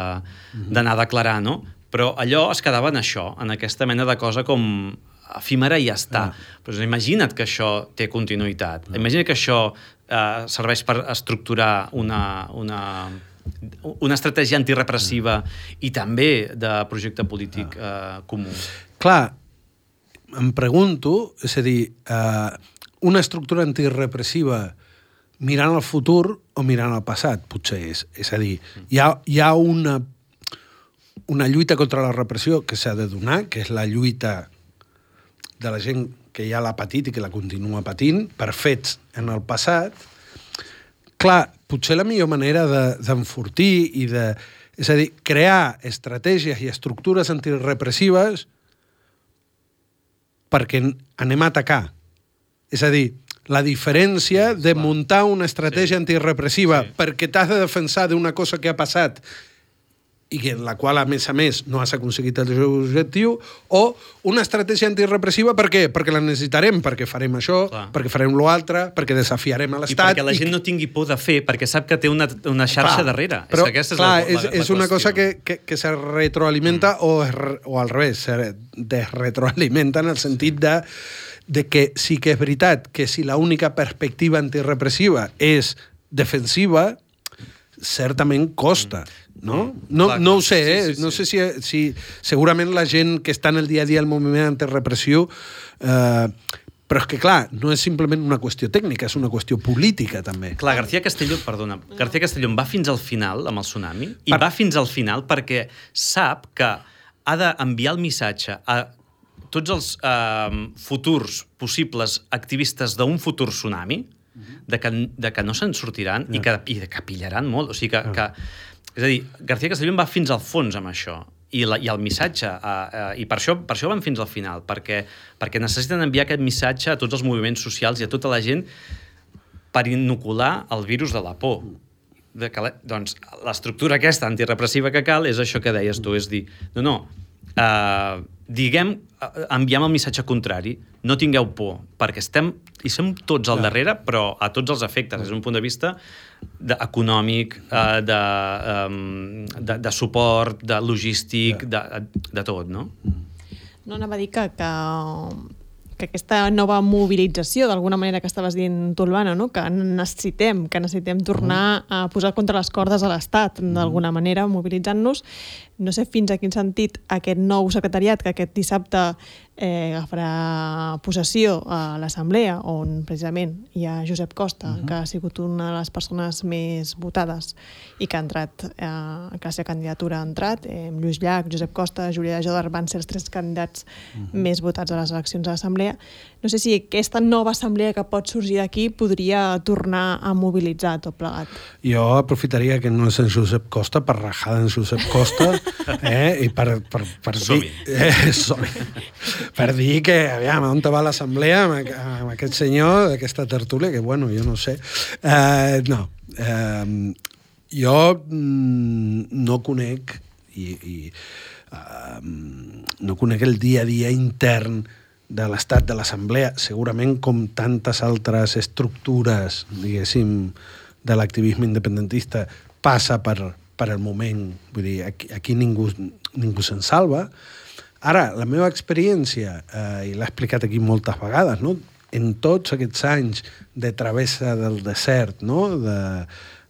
de, a declarar, no? Però allò es quedava en això, en aquesta mena de cosa com efímera i ja està. Ah. Però imagina't que això té continuïtat. Ah. Imagina't que això eh, serveix per estructurar una, una, una estratègia antirepressiva ah. i també de projecte polític ah. eh, comú. Clar, em pregunto, és a dir, eh, una estructura antirepressiva mirant al futur o mirant al passat, potser és. És a dir, hi ha, hi ha una, una lluita contra la repressió que s'ha de donar, que és la lluita de la gent que ja l'ha patit i que la continua patint, per fets en el passat. Clar, potser la millor manera d'enfortir de, i de... És a dir, crear estratègies i estructures antirepressives perquè anem a atacar. És a dir, la diferència de muntar una estratègia sí. antirepressiva sí. perquè t'has de defensar d'una cosa que ha passat i que la qual, a més a més, no has aconseguit el seu objectiu, o una estratègia antirepressiva per què? Perquè la necessitarem, perquè farem això, clar. perquè farem l'altre, perquè desafiarem a l'Estat... I perquè la gent i... no tingui por de fer, perquè sap que té una, una xarxa clar, darrere. Però, és aquesta és clar, la, la, és, la és una cosa que, que, que se retroalimenta mm. o, o al revés, se desretroalimenta en el sentit de de que sí que és veritat que si l'única perspectiva antirepressiva és defensiva, certament costa, no? No, clar, no ho sé, eh? Sí, sí, sí. No sé si, si... Segurament la gent que està en el dia a dia al moviment antirepressiu... Eh, però és que, clar, no és simplement una qüestió tècnica, és una qüestió política, també. Clar, García Castelló, perdona, García Castelló va fins al final amb el tsunami, i per... va fins al final perquè sap que ha d'enviar el missatge a tots els eh, futurs possibles activistes d'un futur tsunami, de que, de que no se'n sortiran yeah. i, que, i que pillaran molt. O sigui que, yeah. que, és a dir, García Castelló va fins al fons amb això. I, la, i el missatge, eh, eh, i per això, per això van fins al final, perquè, perquè necessiten enviar aquest missatge a tots els moviments socials i a tota la gent per inocular el virus de la por. De que, doncs, l'estructura aquesta antirepressiva que cal és això que deies tu, és dir, no, no, eh, diguem, enviem el missatge contrari, no tingueu por, perquè estem, i som tots al darrere, però a tots els efectes, des d'un punt de vista de, econòmic, eh, de, um, de, de suport, de logístic, de, de tot, no? No, anava a dir que, que, que aquesta nova mobilització, d'alguna manera que estaves dient tu, Urbana, no? Que necessitem, que necessitem tornar a posar contra les cordes a l'Estat, d'alguna manera, mobilitzant-nos. No sé fins a quin sentit aquest nou secretariat que aquest dissabte eh, agafarà possessió a l'Assemblea, on precisament hi ha Josep Costa, uh-huh. que ha sigut una de les persones més votades i que ha entrat, eh, que la seva candidatura ha entrat. Eh, Lluís Llach, Josep Costa, Júlia Jodar van ser els tres candidats uh-huh. més votats a les eleccions a l'Assemblea. No sé si aquesta nova assemblea que pot sorgir d'aquí podria tornar a mobilitzar tot plegat. Jo aprofitaria que no és en Josep Costa per rajar en Josep Costa eh, i per, per, per dir... Eh, per dir que, aviam, on va l'assemblea amb, amb aquest senyor d'aquesta tertúlia, que, bueno, jo no sé. Eh, no. Eh, jo mm, no conec i, i uh, no conec el dia a dia intern de l'estat de l'Assemblea, segurament com tantes altres estructures, diguéssim, de l'activisme independentista, passa per, per el moment. Vull dir, aquí, aquí ningú, ningú se'n salva. Ara, la meva experiència, eh, i l'he explicat aquí moltes vegades, no? En tots aquests anys de travessa del desert, no? de,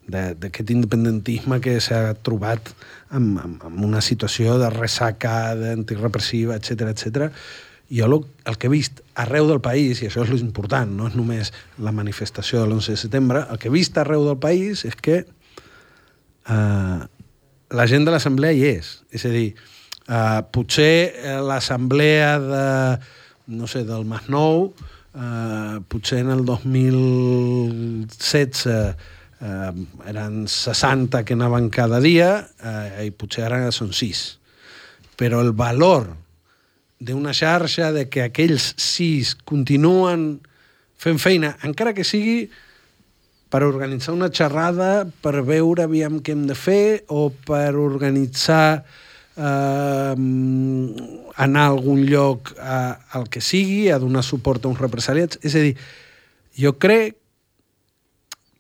d'aquest independentisme que s'ha trobat en, en, en una situació de ressaca, d'antirepressiva, etcètera, etcètera, jo el, el que he vist arreu del país, i això és l'important, no és només la manifestació de l'onze de setembre, el que he vist arreu del país és que eh, la gent de l'assemblea hi és. És a dir, eh, potser l'assemblea de, no sé, del Masnou, eh, potser en el dos mil setze eh, eren seixanta que anaven cada dia eh, i potser ara són sis. Però el valor d'una xarxa, de que aquells sis continuen fent feina, encara que sigui per organitzar una xerrada, per veure aviam què hem de fer, o per organitzar eh, anar a algun lloc a, al que sigui, a donar suport a uns represaliats. És a dir, jo crec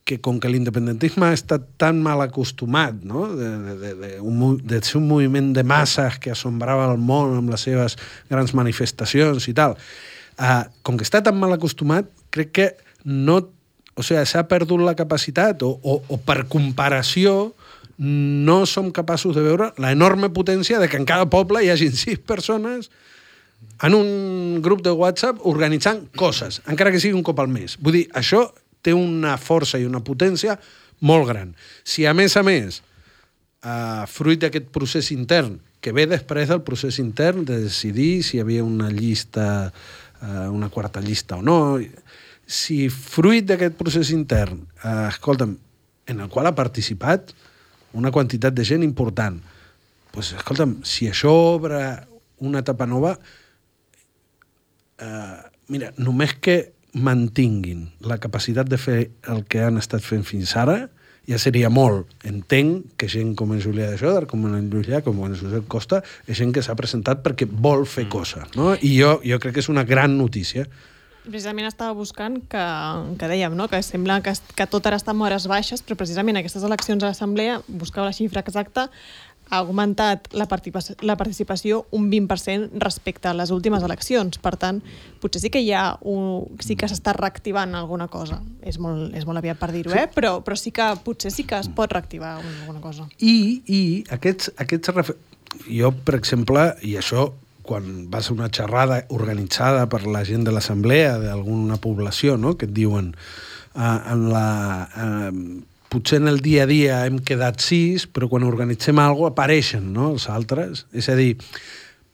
que com que l'independentisme ha estat tan mal acostumat, no? de, de, de, de, un, de ser un moviment de masses que assombrava el món amb les seves grans manifestacions i tal, uh, com que està tan mal acostumat, crec que no, o sigui, s'ha perdut la capacitat, o, o, o per comparació no som capaços de veure la enorme potència de que en cada poble hi hagin sis persones en un grup de WhatsApp organitzant coses, encara que sigui un cop al mes. Vull dir, això té una força i una potència molt gran. Si, a més a més, eh, fruit d'aquest procés intern, que ve després del procés intern de decidir si hi havia una llista, eh, una quarta llista o no, si fruit d'aquest procés intern, eh, escolta'm, en el qual ha participat una quantitat de gent important, doncs, escolta'm, si això obre una etapa nova, eh, mira, només que mantinguin la capacitat de fer el que han estat fent fins ara, ja seria molt. Entenc que gent com en Julià de Jòdar, com en Lluís Llach, com en Josep Costa, és gent que s'ha presentat perquè vol fer mm. coses, no? I jo, jo crec que és una gran notícia. Precisament estava buscant que, que dèiem, no? Que sembla que, que tot ara està en hores baixes, però precisament aquestes eleccions a l'Assemblea, buscava la xifra exacta, ha augmentat la participació, la participació un vint per cent respecte a les últimes eleccions. Per tant, potser sí que hi ha un, sí que s'està reactivant alguna cosa. És molt, és molt aviat per dir-ho, eh? Però, però sí que potser sí que es pot reactivar alguna cosa. I, i aquests, aquests... Jo, per exemple, i això quan vas a una xerrada organitzada per la gent de l'assemblea d'alguna població, no?, que et diuen uh, en la... Uh, potser en el dia a dia hem quedat sis, però quan organitzem alguna cosa apareixen, no?, els altres. És a dir,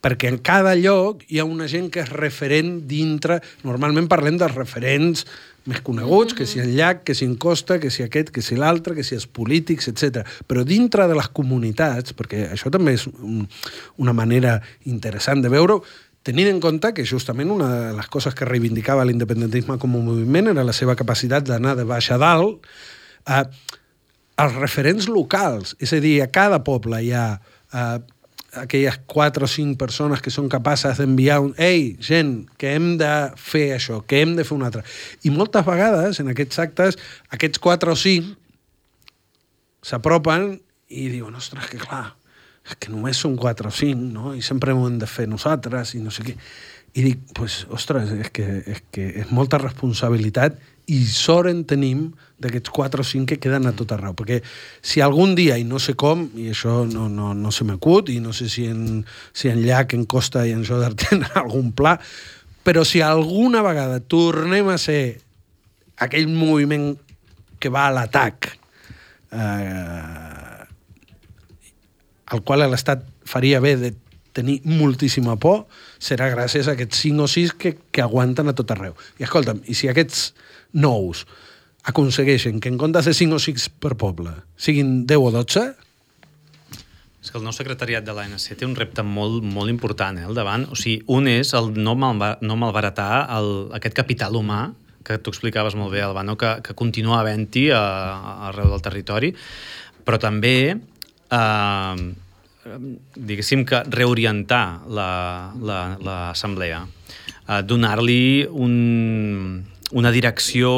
perquè en cada lloc hi ha una gent que és referent dintre... Normalment parlem dels referents més coneguts, que si en Llach, que si en Costa, que si aquest, que si l'altre, que si els polítics, etcètera. Però dintre de les comunitats, perquè això també és un, una manera interessant de veure-ho, tenint en compte que justament una de les coses que reivindicava l'independentisme com a moviment era la seva capacitat d'anar de baix a dalt, eh, els referents locals, és a dir, a cada poble hi ha eh, aquelles quatre o cinc persones que són capaces d'enviar un «Ei, gent, que hem de fer això, que hem de fer un altre». I moltes vegades, en aquests actes, aquests quatre o cinc s'apropen i diuen «Ostres, que clar, és que només són quatre o cinc, no? I sempre ho hem de fer nosaltres i no sé què». I dic, pues, ostres, és que, és que és molta responsabilitat i sort en tenim d'aquests quatre o cinc que queden a tot arreu. Perquè si algun dia, i no sé com, i això no, no, no se m'acut, i no sé si en, si en Llach, en Costa i en Jòdar tenen algun pla, però si alguna vegada tornem a ser aquell moviment que va a l'atac, eh, al qual l'Estat faria bé de tenir moltíssima por, serà gràcies a aquests cinc o sis que, que aguanten a tot arreu. I escolta'm, i si aquests nous aconsegueixen que en comptes de cinc o sis per poble siguin deu o dotze... És que el nou secretariat de l'A N C té un repte molt, molt important, eh, al davant. O sigui, un és el no, malba, no malbaratar el, aquest capital humà que tu explicaves molt bé, Albano, que, que continua havent-hi arreu del territori, però també... Eh, diguéssim que reorientar l'assemblea, la, donar-li un, una direcció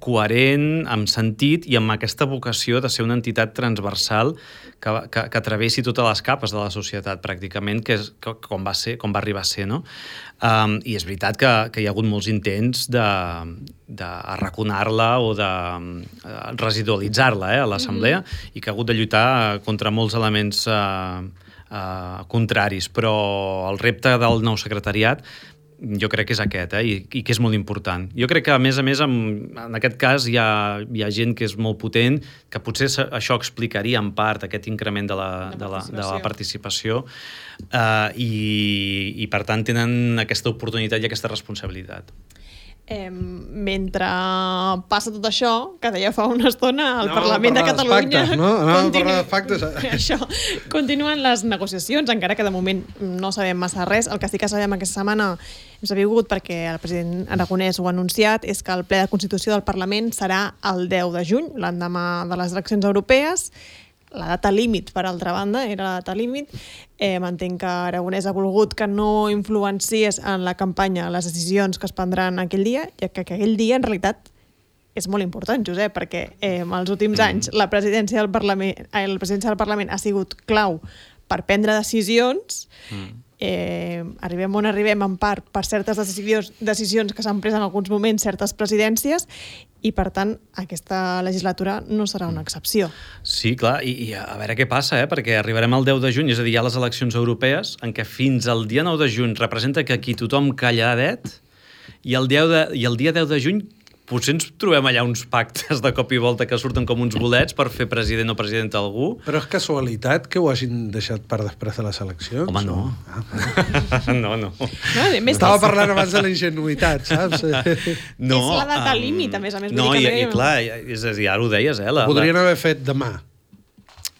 coherent, amb sentit i amb aquesta vocació de ser una entitat transversal que, que, que travessi totes les capes de la societat, pràcticament, que és que, com, va ser, com va arribar a ser, no? Um, I és veritat que, que hi ha hagut molts intents de, de arraconar-la o de uh, residualitzar-la, eh, a l'assemblea, mm-hmm. i que ha hagut de lluitar contra molts elements uh, uh, contraris, però el repte del nou secretariat jo crec que és aquest, eh? I, i que és molt important. Jo crec que, a més a més, en, en aquest cas hi ha, hi ha gent que és molt potent, que potser això explicaria en part aquest increment de la, de la, de la participació eh, i, i, per tant, tenen aquesta oportunitat i aquesta responsabilitat. Eh, mentre passa tot això, que deia fa una estona al No, Parlament de Catalunya... Factes, no? No, continu... parlar de factes. Això, continuen les negociacions, encara que de moment no sabem massa res. El que sí que sabem aquesta setmana hem sabut, perquè el president Aragonès ho ha anunciat, és que el ple de Constitució del Parlament serà el deu de juny, l'endemà de les eleccions europees. La data límit, per altra banda, era la data límit. Eh, M'entenc que Aragonès ha volgut que no influenciés en la campanya les decisions que es prendran aquell dia, i que aquell dia, en realitat, és molt important, Josep, perquè eh, en els últims anys la presidència del Parlament, eh, la presidència del Parlament ha sigut clau per prendre decisions. Mm. Eh, arribem on arribem en part per certes decisions, decisions que s'han pres en alguns moments certes presidències, i per tant aquesta legislatura no serà una excepció. Sí, clar, i, i a veure què passa, eh? Perquè arribarem al deu de juny, és a dir, hi ha les eleccions europees, en què fins al dia nou de juny representa que aquí tothom calladet, i el, de, i el dia deu de juny potser ens trobem allà uns pactes de cop i volta que surten com uns bolets per fer president o presidenta algú. Però és casualitat que ho hagin deixat per després de les eleccions? Home, no. Ah, no, no. no més Estava parlant abans de la ingenuïtat, saps? No, és la data um, límit, a més a més. No, i, que i clar, és a dir, ara ho deies, eh? La, Podrien la... haver fet demà.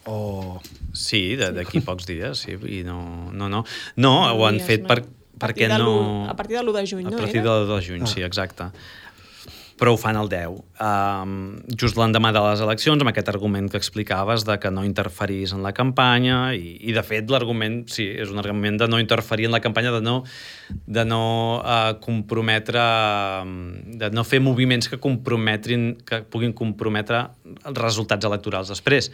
O... Sí, d'aquí pocs dies, sí, i no, no, no. No, ho han fet per, perquè no... A partir de l'u de juny, no? A partir de l'u de juny, sí, exacte. Però ho fan el deu. Um, just l'endemà de les eleccions, amb aquest argument que explicaves de que no interferís en la campanya, i, i de fet l'argument, sí, és un argument de no interferir en la campanya, de no, de no uh, comprometre, de no fer moviments que comprometrin, que puguin comprometre els resultats electorals després.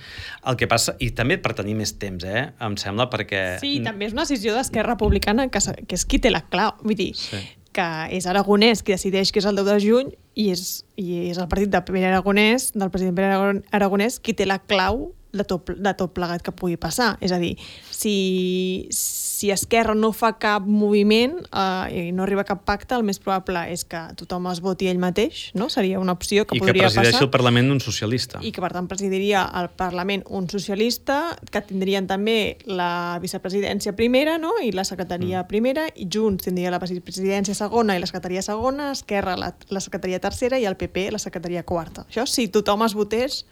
El que passa, i també per tenir més temps, eh, em sembla, perquè... Sí, també és una decisió d'Esquerra Republicana que, que és qui té la clau, vull dir... Sí. Que és Aragonès qui decideix que és el deu de juny, i és, i és el partit de Pere Aragonès, del president Pere Aragonès, qui té la clau de tot, de tot plegat que pugui passar. És a dir, si, si Esquerra no fa cap moviment eh, i no arriba a cap pacte, el més probable és que tothom es voti ell mateix, no? Seria una opció que I podria passar. I que presideixi passar. el Parlament un socialista. I que, per tant, presidiria el Parlament un socialista, que tindrien també la vicepresidència primera, no? I la secretaria mm. primera, i Junts tindria la vicepresidència segona i la secretaria segona, Esquerra la, la secretaria tercera i el P P la secretaria quarta. Això, si tothom es votés...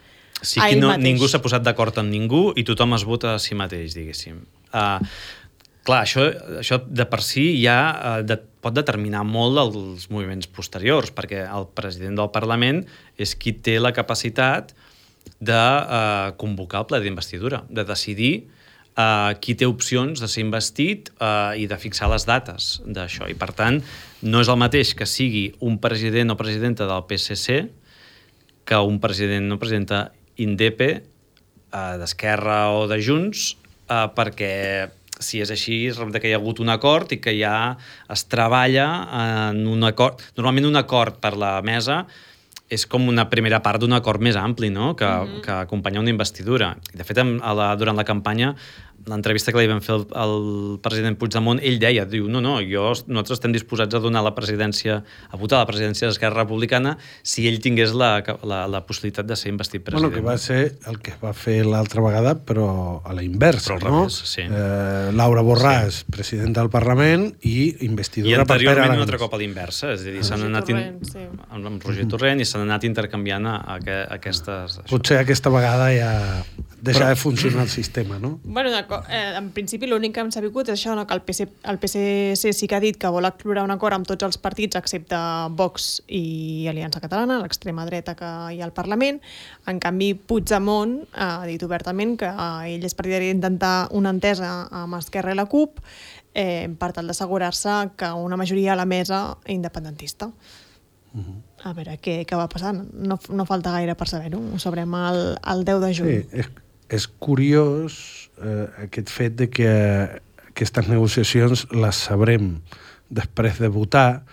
Sí que no, ningú s'ha posat d'acord amb ningú i tothom es vota a si mateix, diguéssim. Uh, clar, això, això de per si ja uh, de, pot determinar molt els moviments posteriors, perquè el president del Parlament és qui té la capacitat de uh, convocar el ple d'investidura, de decidir uh, qui té opcions de ser investit uh, i de fixar les dates d'això. I, per tant, no és el mateix que sigui un president o presidenta del P S C que un president o presidenta indepe, eh, d'Esquerra o de Junts, eh, perquè si és així, resulta que hi ha hagut un acord i que ja es treballa en un acord. Normalment un acord per la mesa és com una primera part d'un acord més ampli, no? que, mm-hmm. que acompanya una investidura. De fet, a la, durant la campanya, l'entrevista que li vam fer al, al president Puigdemont, ell deia, diu, no, no, jo, nosaltres estem disposats a donar la presidència, a votar la presidència d'Esquerra Republicana si ell tingués la, la, la possibilitat de ser investit president. Bueno, que va ser el que va fer l'altra vegada, però a la inversa, però no? Revés, sí. Eh, Laura Borràs, sí. presidenta del Parlament, i investidura per Pere Aragonès. I anteriorment un altre cop a l'inversa, és a dir, s'han anat Torrent, in... sí. amb Roger Torrent i s'han anat intercanviant a, a, a aquestes... Això. Potser aquesta vegada ja deixa però... de funcionar el sistema, no? Bueno, eh, en principi l'únic que hem sabut és això, no? Que el P S, el P S C sí que ha dit que vol explorar un acord amb tots els partits excepte Vox i Aliança Catalana, l'extrema dreta que hi ha al Parlament. En canvi, Puigdemont ha dit obertament que eh, ell és partidari d'intentar una entesa amb Esquerra i la CUP eh, per tal d'assegurar-se que una majoria a la mesa independentista. Uh-huh. A veure què, què va passar. No, no falta gaire per saber-ho. Ho sabrem el, el deu de juny. Sí, és, és curiós eh, aquest fet de que aquestes negociacions les sabrem després de votar.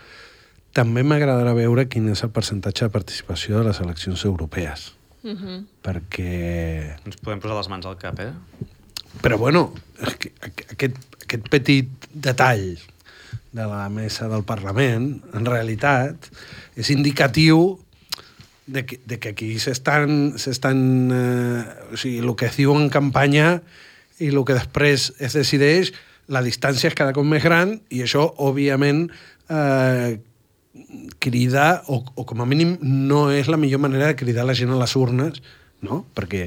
També m'agradarà veure quin és el percentatge de participació de les eleccions europees. Uh-huh. Perquè... Ens podem posar les mans al cap, eh? Però, bueno, aquest, aquest petit detall de la mesa del Parlament, en realitat, és indicatiu de que, de que aquí s'estan... s'estan eh, o sigui, el que es diu en campanya i el que després es decideix, la distància és cada cop més gran i això, òbviament, eh, crida, o, o com a mínim no és la millor manera de cridar la gent a les urnes, no? Perquè,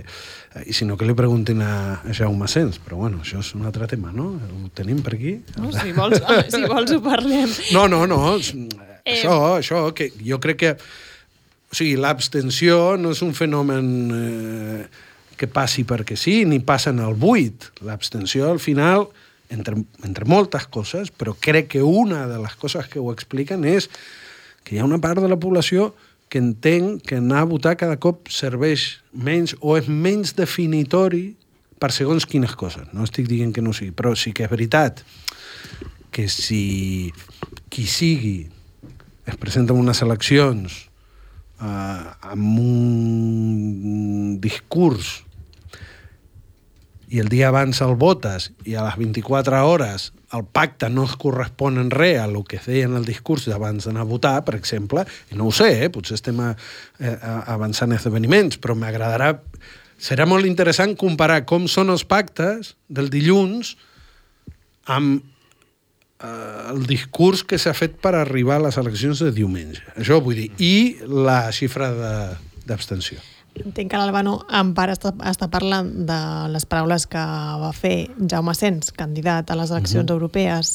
i si no, que li preguntin a, a Jaume Sens, però bueno, això és un altre tema, no? Ho tenim per aquí? No, si vols, si vols ho parlem. No, no, no, eh... això, això, que jo crec que, o sigui, l'abstenció no és un fenomen eh, que passi perquè sí, ni passa en el buit. L'abstenció, al final, entre, entre moltes coses, però crec que una de les coses que ho expliquen és que hi ha una part de la població que entén que anar a votar cada cop serveix menys o és menys definitori per segons quines coses. No estic dient que no sigui, però sí que és veritat que si qui sigui es presenta en unes eleccions eh, amb un discurs i el dia abans el votes i a les vint-i-quatre hores el pacte no es correspon en res a el que es deia en el discurs d'abans d'anar a votar, per exemple, i no ho sé, eh? Potser estem a, a, avançant esdeveniments, però m'agradarà... Serà molt interessant comparar com són els pactes del dilluns amb eh, el discurs que s'ha fet per arribar a les eleccions de diumenge. Això vull dir. I la xifra d'abstenció. Entenc que l'Albano en part està, està parlant de les paraules que va fer Jaume Sens, candidat a les eleccions uh-huh. europees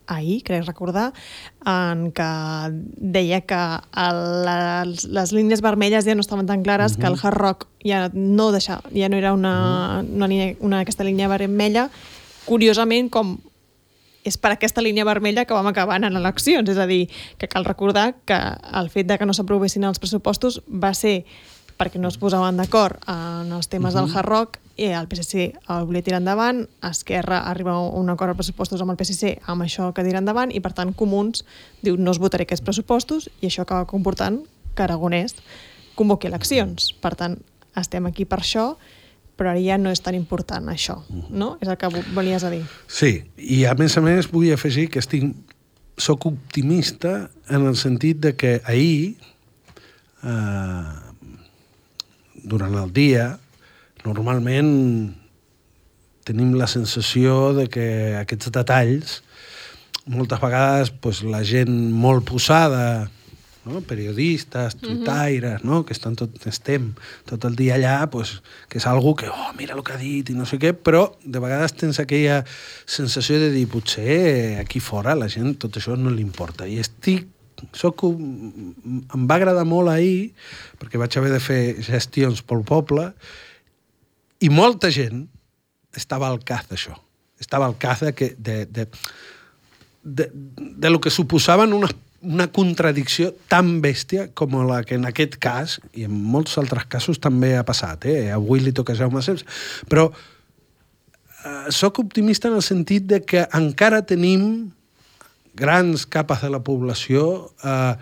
ahir, crec recordar, en què deia que el, les, les línies vermelles ja no estaven tan clares, uh-huh. que el Hard Rock ja no, deixava, ja no era una, uh-huh. una, línia, una aquesta línia vermella. Curiosament, com és per aquesta línia vermella que vam acabar en eleccions. És a dir, que cal recordar que el fet de que no s'aprovessin els pressupostos va ser perquè no es posaven d'acord en els temes uh-huh. del Hard Rock i el P S C el volia tirar endavant, Esquerra arriba a un acord als pressupostos amb el P S C amb això que tira endavant i per tant Comuns diu no es votaré aquests pressupostos i això acaba comportant que Aragonès convoqui eleccions. Per tant, estem aquí per això, però ara ja no és tan important això, no? És el que volies a dir. Sí, i a més a més vull afegir que estic, soc optimista en el sentit de que ahir eh, durant el dia, normalment tenim la sensació de que aquests detalls, moltes vegades pues, la gent molt posada, no? Periodistes, tuitaires, no? Que estan tot, estem tot el dia allà, pues, que és algú que, oh, mira el que ha dit i no sé què, però de vegades tens aquella sensació de dir, potser aquí fora la gent tot això no li importa. I estic Soc, em va agradar molt ahir perquè vaig haver de fer gestions pel poble i molta gent estava al cas d'això. Estava al cas de, que, de, de, de, de lo que suposaven una, una contradicció tan bèstia com la que en aquest cas, i en molts altres casos també ha passat, eh? Avui li toca a Jaume Sens, però eh, soc optimista en el sentit de que encara tenim grans capes de la població eh,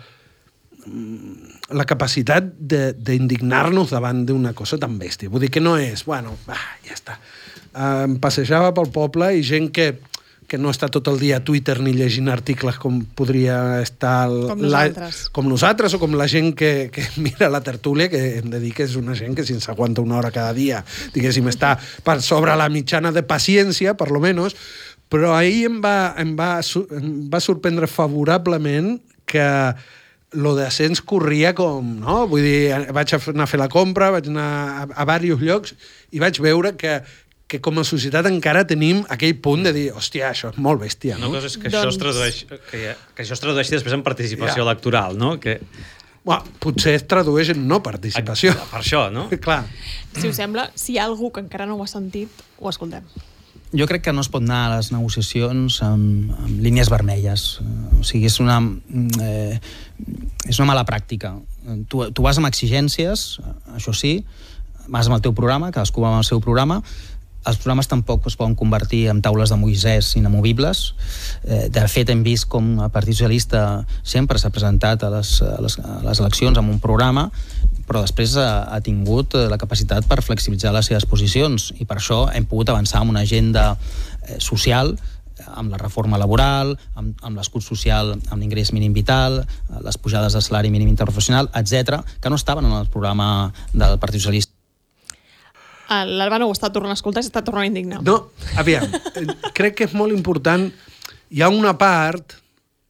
la capacitat d'indignar-nos davant d'una cosa tan bèstia. Vull dir que no és, bueno, va, ja està. Eh, em passejava pel poble i gent que, que no està tot el dia a Twitter ni llegint articles com podria estar... Com nosaltres. La, com nosaltres o com la gent que, que mira la tertúlia, que hem de dir que és una gent que si ens aguanta una hora cada dia, diguéssim, està per sobre la mitjana de paciència, per lo menos. Però ahir em va, em va, em va sorprendre favorablement que lo de Sens corria com, no? Vull dir, vaig anar a fer la compra, vaig anar a, a diversos llocs i vaig veure que, que com a societat encara tenim aquell punt de dir, hòstia, això és molt bèstia, no? Una cosa és que, doncs... això, es tradueix, que, que això es tradueixi després en participació ja. electoral, no? Que... Well, potser es tradueix en no participació. Per això, no? Clar. Si us sembla, si hi ha algú que encara no ho ha sentit, ho escoltem. Jo crec que no es pot anar a les negociacions amb, amb línies vermelles. O sigui, és una, eh, és una mala pràctica. Tu, tu vas amb exigències, això sí, vas amb el teu programa, cadascú va amb el seu programa. Els programes tampoc es poden convertir en taules de Moisès inamovibles. Eh, de fet, hem vist com el Partit Socialista sempre s'ha presentat a les, a les, a les eleccions amb un programa, però després ha, ha tingut la capacitat per flexibilitzar les seves posicions i per això hem pogut avançar amb una agenda eh, social amb la reforma laboral, amb, amb l'escut social, amb l'ingrés mínim vital, les pujades de salari mínim interprofessional, etcètera, que no estaven en el programa del Partit Socialista. L'Albano ho està tornant a escoltar i s'està tornant a indignar. No, aviam, crec que és molt important. Hi ha una part...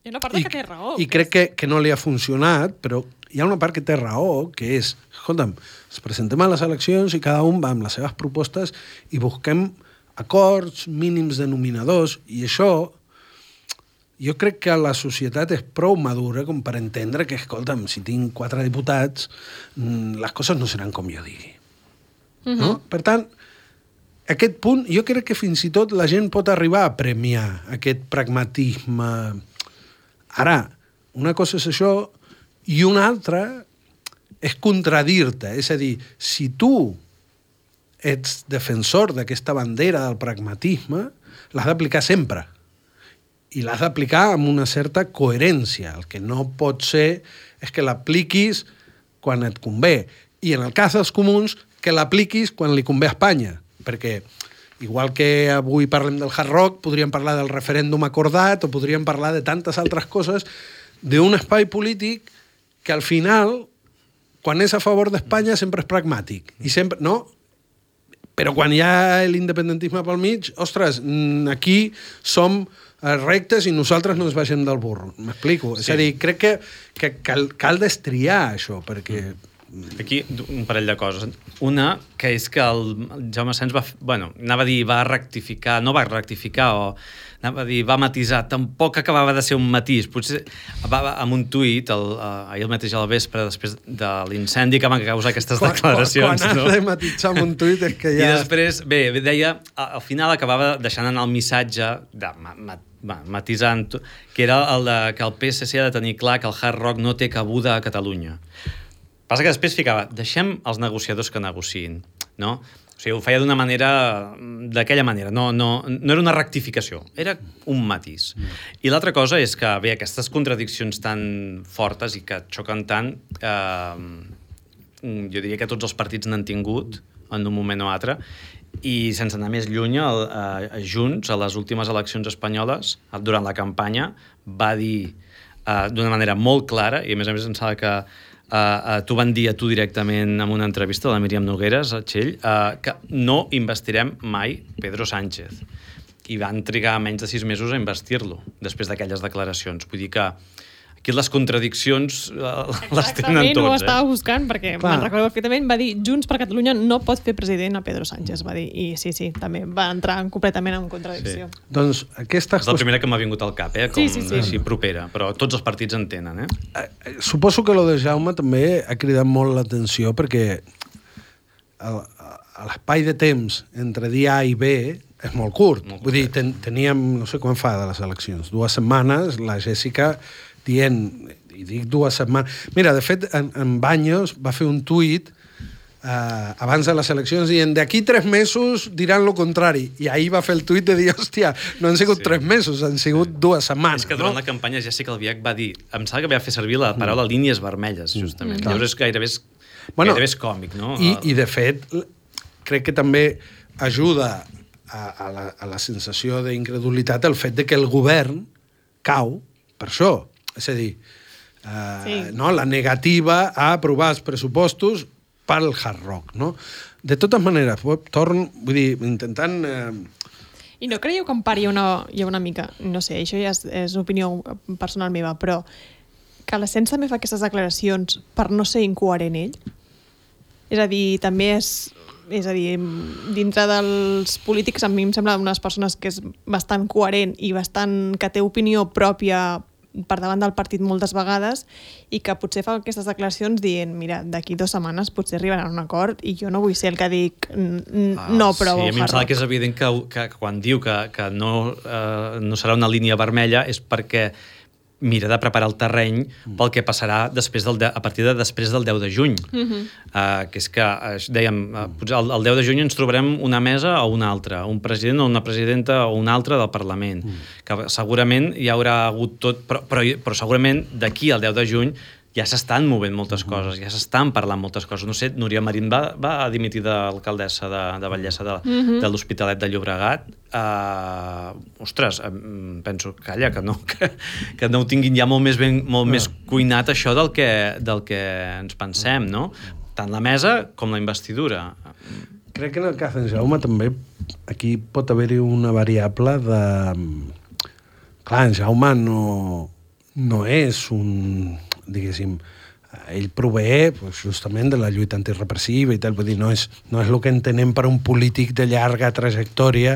Hi ha una part i, que té raó. I crec que, que no li ha funcionat, però hi ha una part que té raó, que és, escolta'm, ens presentem a les eleccions i cada un va amb les seves propostes i busquem acords, mínims denominadors, i això jo crec que la societat és prou madura com per entendre que, escolta'm, si tinc quatre diputats, les coses no seran com jo digui. Uh-huh. No? Per tant, aquest punt, jo crec que fins i tot la gent pot arribar a premiar aquest pragmatisme. Ara, una cosa és això i una altra és contradir-te. És a dir, si tu ets defensor d'aquesta bandera del pragmatisme, l'has d'aplicar sempre. I l'has d'aplicar amb una certa coherència. El que no pot ser és que l'apliquis quan et convé. I en el cas dels comuns, que l'apliquis quan li convé a Espanya. Perquè, igual que avui parlem del Hard Rock, podríem parlar del referèndum acordat o podríem parlar de tantes altres coses d'un espai polític que al final, quan és a favor d'Espanya, sempre és pragmàtic. I sempre, no? Però quan hi ha l'independentisme pel mig, ostres, aquí som rectes i nosaltres no ens baixem del burro. M'explico? Sí. És a dir, crec que, que cal, cal destriar això, perquè... Aquí un parell de coses. Una, que és que el Jaume Asens va... Bueno, anava a dir, va rectificar, no va rectificar, o anava a dir, va matisar. Tampoc acabava de ser un matís. Potser va, va amb un tuit, el, uh, ahir el mateix al vespre, després de l'incendi que van causar aquestes quan, declaracions. Quan, quan no? has de matisar amb un tuit és que ja... I després, bé, deia, al final acabava deixant anar el missatge de ma, ma, ma, matisant, que era el de que el P S C ha de tenir clar que el Hard Rock no té cabuda a Catalunya. Passa que després ficava, deixem els negociadors que negociïn, no? O sigui, ho feia d'una manera, d'aquella manera, no, no, no era una rectificació, era un matís. I l'altra cosa és que, bé, aquestes contradiccions tan fortes i que xoquen tant, eh, jo diria que tots els partits n'han tingut en un moment o altre, i sense anar més lluny, el, eh, Junts, a les últimes eleccions espanyoles, durant la campanya, va dir eh, d'una manera molt clara, i a més a més em sembla que Uh, uh, t'ho van dir a tu directament en una entrevista de la Míriam Nogueres, a Txell, uh, que no investirem mai Pedro Sánchez. I van trigar menys de sis mesos a investir-lo, després d'aquelles declaracions. Vull dir que aquí les contradiccions uh, les tenen tots. Exactament, ho eh? estava buscant, perquè Clar. me'n recordo perfectament, va dir Junts per Catalunya no pot fer president a Pedro Sánchez, va dir, i sí, sí, també va entrar completament en contradicció. Sí. Doncs aquesta... És la primera que m'ha vingut al cap, eh? Com Sí, sí, sí. així propera, però tots els partits en tenen, eh? Eh, Suposo que lo de Jaume també ha cridat molt l'atenció perquè el- a l'espai de temps entre dia A i B és molt curt. Molt Vull dir, ten, teníem, no sé quan fa de les eleccions, dues setmanes, la Jèssica dient, i dic dues setmanes... Mira, de fet, en, en Baños va fer un tuit eh, abans de les eleccions dient d'aquí tres mesos diran lo contrari. I ahir va fer el tuit de dir, hòstia, no han sigut Sí. tres mesos, han sigut dues setmanes. És que durant no? la campanya Jessica Albiach va dir, em sembla que va fer servir la paraula mm. línies vermelles, justament. Mm. Llavors és gairebé, és, Bueno, gairebé és còmic, no? I, I, de fet, crec que també ajuda a, a, la, a la sensació d'incredulitat el fet de que el govern cau per això. És a dir, eh, Sí. no? la negativa a aprovar els pressupostos pel Hard Rock. No? De totes maneres, torn, vull dir, intentant... Eh, I no creieu que en part hi ha una, hi ha una mica, no sé, això ja és, és opinió personal meva, però que l'Asens també fa aquestes declaracions per no ser incoherent ell? És a dir, també és... És a dir, dintre dels polítics a mi em sembla unes persones que és bastant coherent i bastant que té opinió pròpia per davant del partit moltes vegades i que potser fa aquestes declaracions dient, mira, d'aquí dues setmanes potser arribaran a un acord i jo no vull ser el que dic Ah, no provo sí, a mi em Hard sembla Rock. que és evident que, que quan diu que, que no, eh, no serà una línia vermella és perquè mira de preparar el terreny pel que passarà després del de, a partir de després del deu de juny. Mhm. Uh, que és que, uh, dèiem, uh, potser el, el deu de juny ens trobarem una mesa o una altra, un president o una presidenta o una altra del Parlament, mm. que segurament hi haurà hagut tot, però, però, però segurament d'aquí al deu de juny ja s'estan movent moltes coses, ja s'estan parlant moltes coses. No sé, Núria Marín va, va dimitir d'alcaldessa de, de Vallesa de, mm-hmm. de l'Hospitalet de Llobregat. Uh, ostres, um, penso, calla, que no, que, que no ho tinguin ja molt més, ben, molt no. més cuinat això del que, del que ens pensem, no? Tant la mesa com la investidura. Crec que en el cas d'en Jaume també aquí pot haver-hi una variable de... Clar, en Jaume no, no és un... diguéssim, ell prové pues, justament de la lluita antirepressiva i tal, vull dir, no és, no és el que entenem per un polític de llarga trajectòria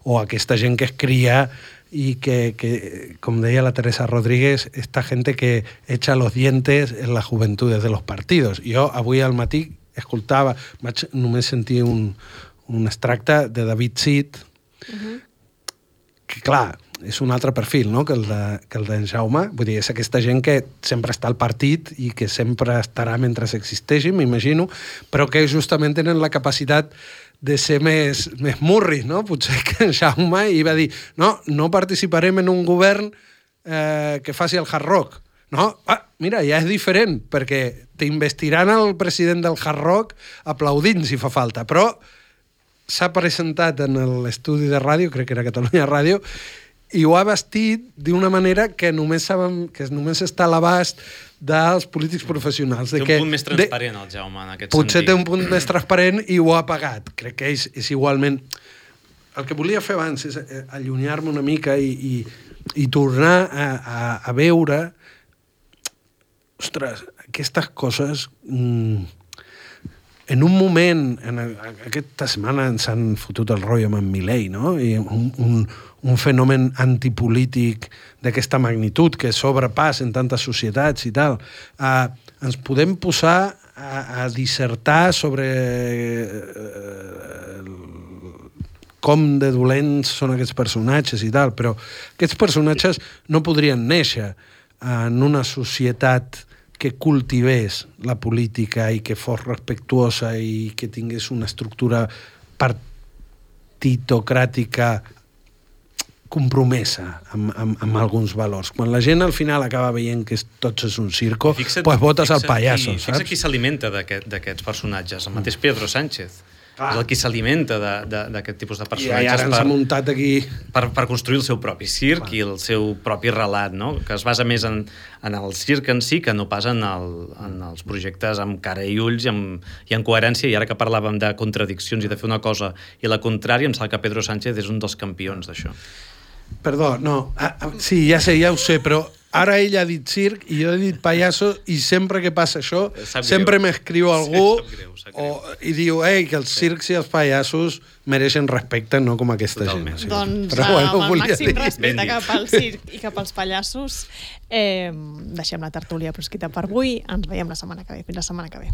o aquesta gent que es cria i que, que, com deia la Teresa Rodríguez, esta gente que echa los dientes en las juventudes de los partidos. Jo avui al matí escoltava, vaig només sentir un, un extracte de David Cid, uh-huh. que clar, és un altre perfil, no?, que el de, que el d'en Jaume. Vull dir, és aquesta gent que sempre està al partit i que sempre estarà mentre existeixi, m'imagino, però que justament tenen la capacitat de ser més, més murris, no? Potser que en Jaume hi va dir no, no participarem en un govern eh, que faci el hard rock. No? Ah, mira, ja és diferent, perquè t'investiran el president del hard rock aplaudint si fa falta, però s'ha presentat en l'estudi de ràdio, crec que era Catalunya Ràdio, i ho ha vestit d'una manera que només saben, que només està a l'abast dels polítics professionals. Té de un que, punt més transparent, de, el Jaume, en aquest potser sentit. té un punt més transparent i ho ha pagat. Crec que és, és igualment... El que volia fer abans és allunyar-me una mica i, i, i tornar a, a, a veure... Ostres, aquestes coses... Mmm, en un moment, en aquesta setmana ens han fotut el rotllo amb en Milei, no? I un, un, un fenomen antipolític d'aquesta magnitud que sobrepàs en tantes societats i tal. Uh, ens podem posar a, a dissertar sobre uh, com de dolents són aquests personatges i tal, però aquests personatges no podrien néixer en una societat que cultivés la política i que fos respectuosa i que tingués una estructura partitocràtica compromesa amb, amb, amb alguns valors. Quan la gent al final acaba veient que tot és un circo, doncs pues votes al pallasso, saps? Fixa qui s'alimenta d'aquests personatges, el mateix Pedro Sánchez. Clar. És el qui s'alimenta d'aquest tipus de personatges. I ara ens ha muntat aquí... Per, per construir el seu propi circ. Clar. I el seu propi relat, no? Que es basa més en, en el circ en si que no pas en, el, en els projectes amb cara i ulls i amb, i en coherència. I ara que parlàvem de contradiccions i de fer una cosa i la contrària, em sembla que Pedro Sánchez és un dels campions d'això. Perdó, no. Ah, sí, ja sé, ja ho sé, però ara ell ha dit circ i jo he dit pallasso i sempre que passa això, sempre m'escriu algú sí, greu, o, i diu ei, que els circs i els pallassos mereixen respecte, no com aquesta Totalment. gent. Doncs però, bueno, amb el màxim dir. respecte cap al circ i cap als pallassos, eh, deixem la tertúlia proscrita per avui. Ens veiem la setmana que ve. Fins la setmana que ve.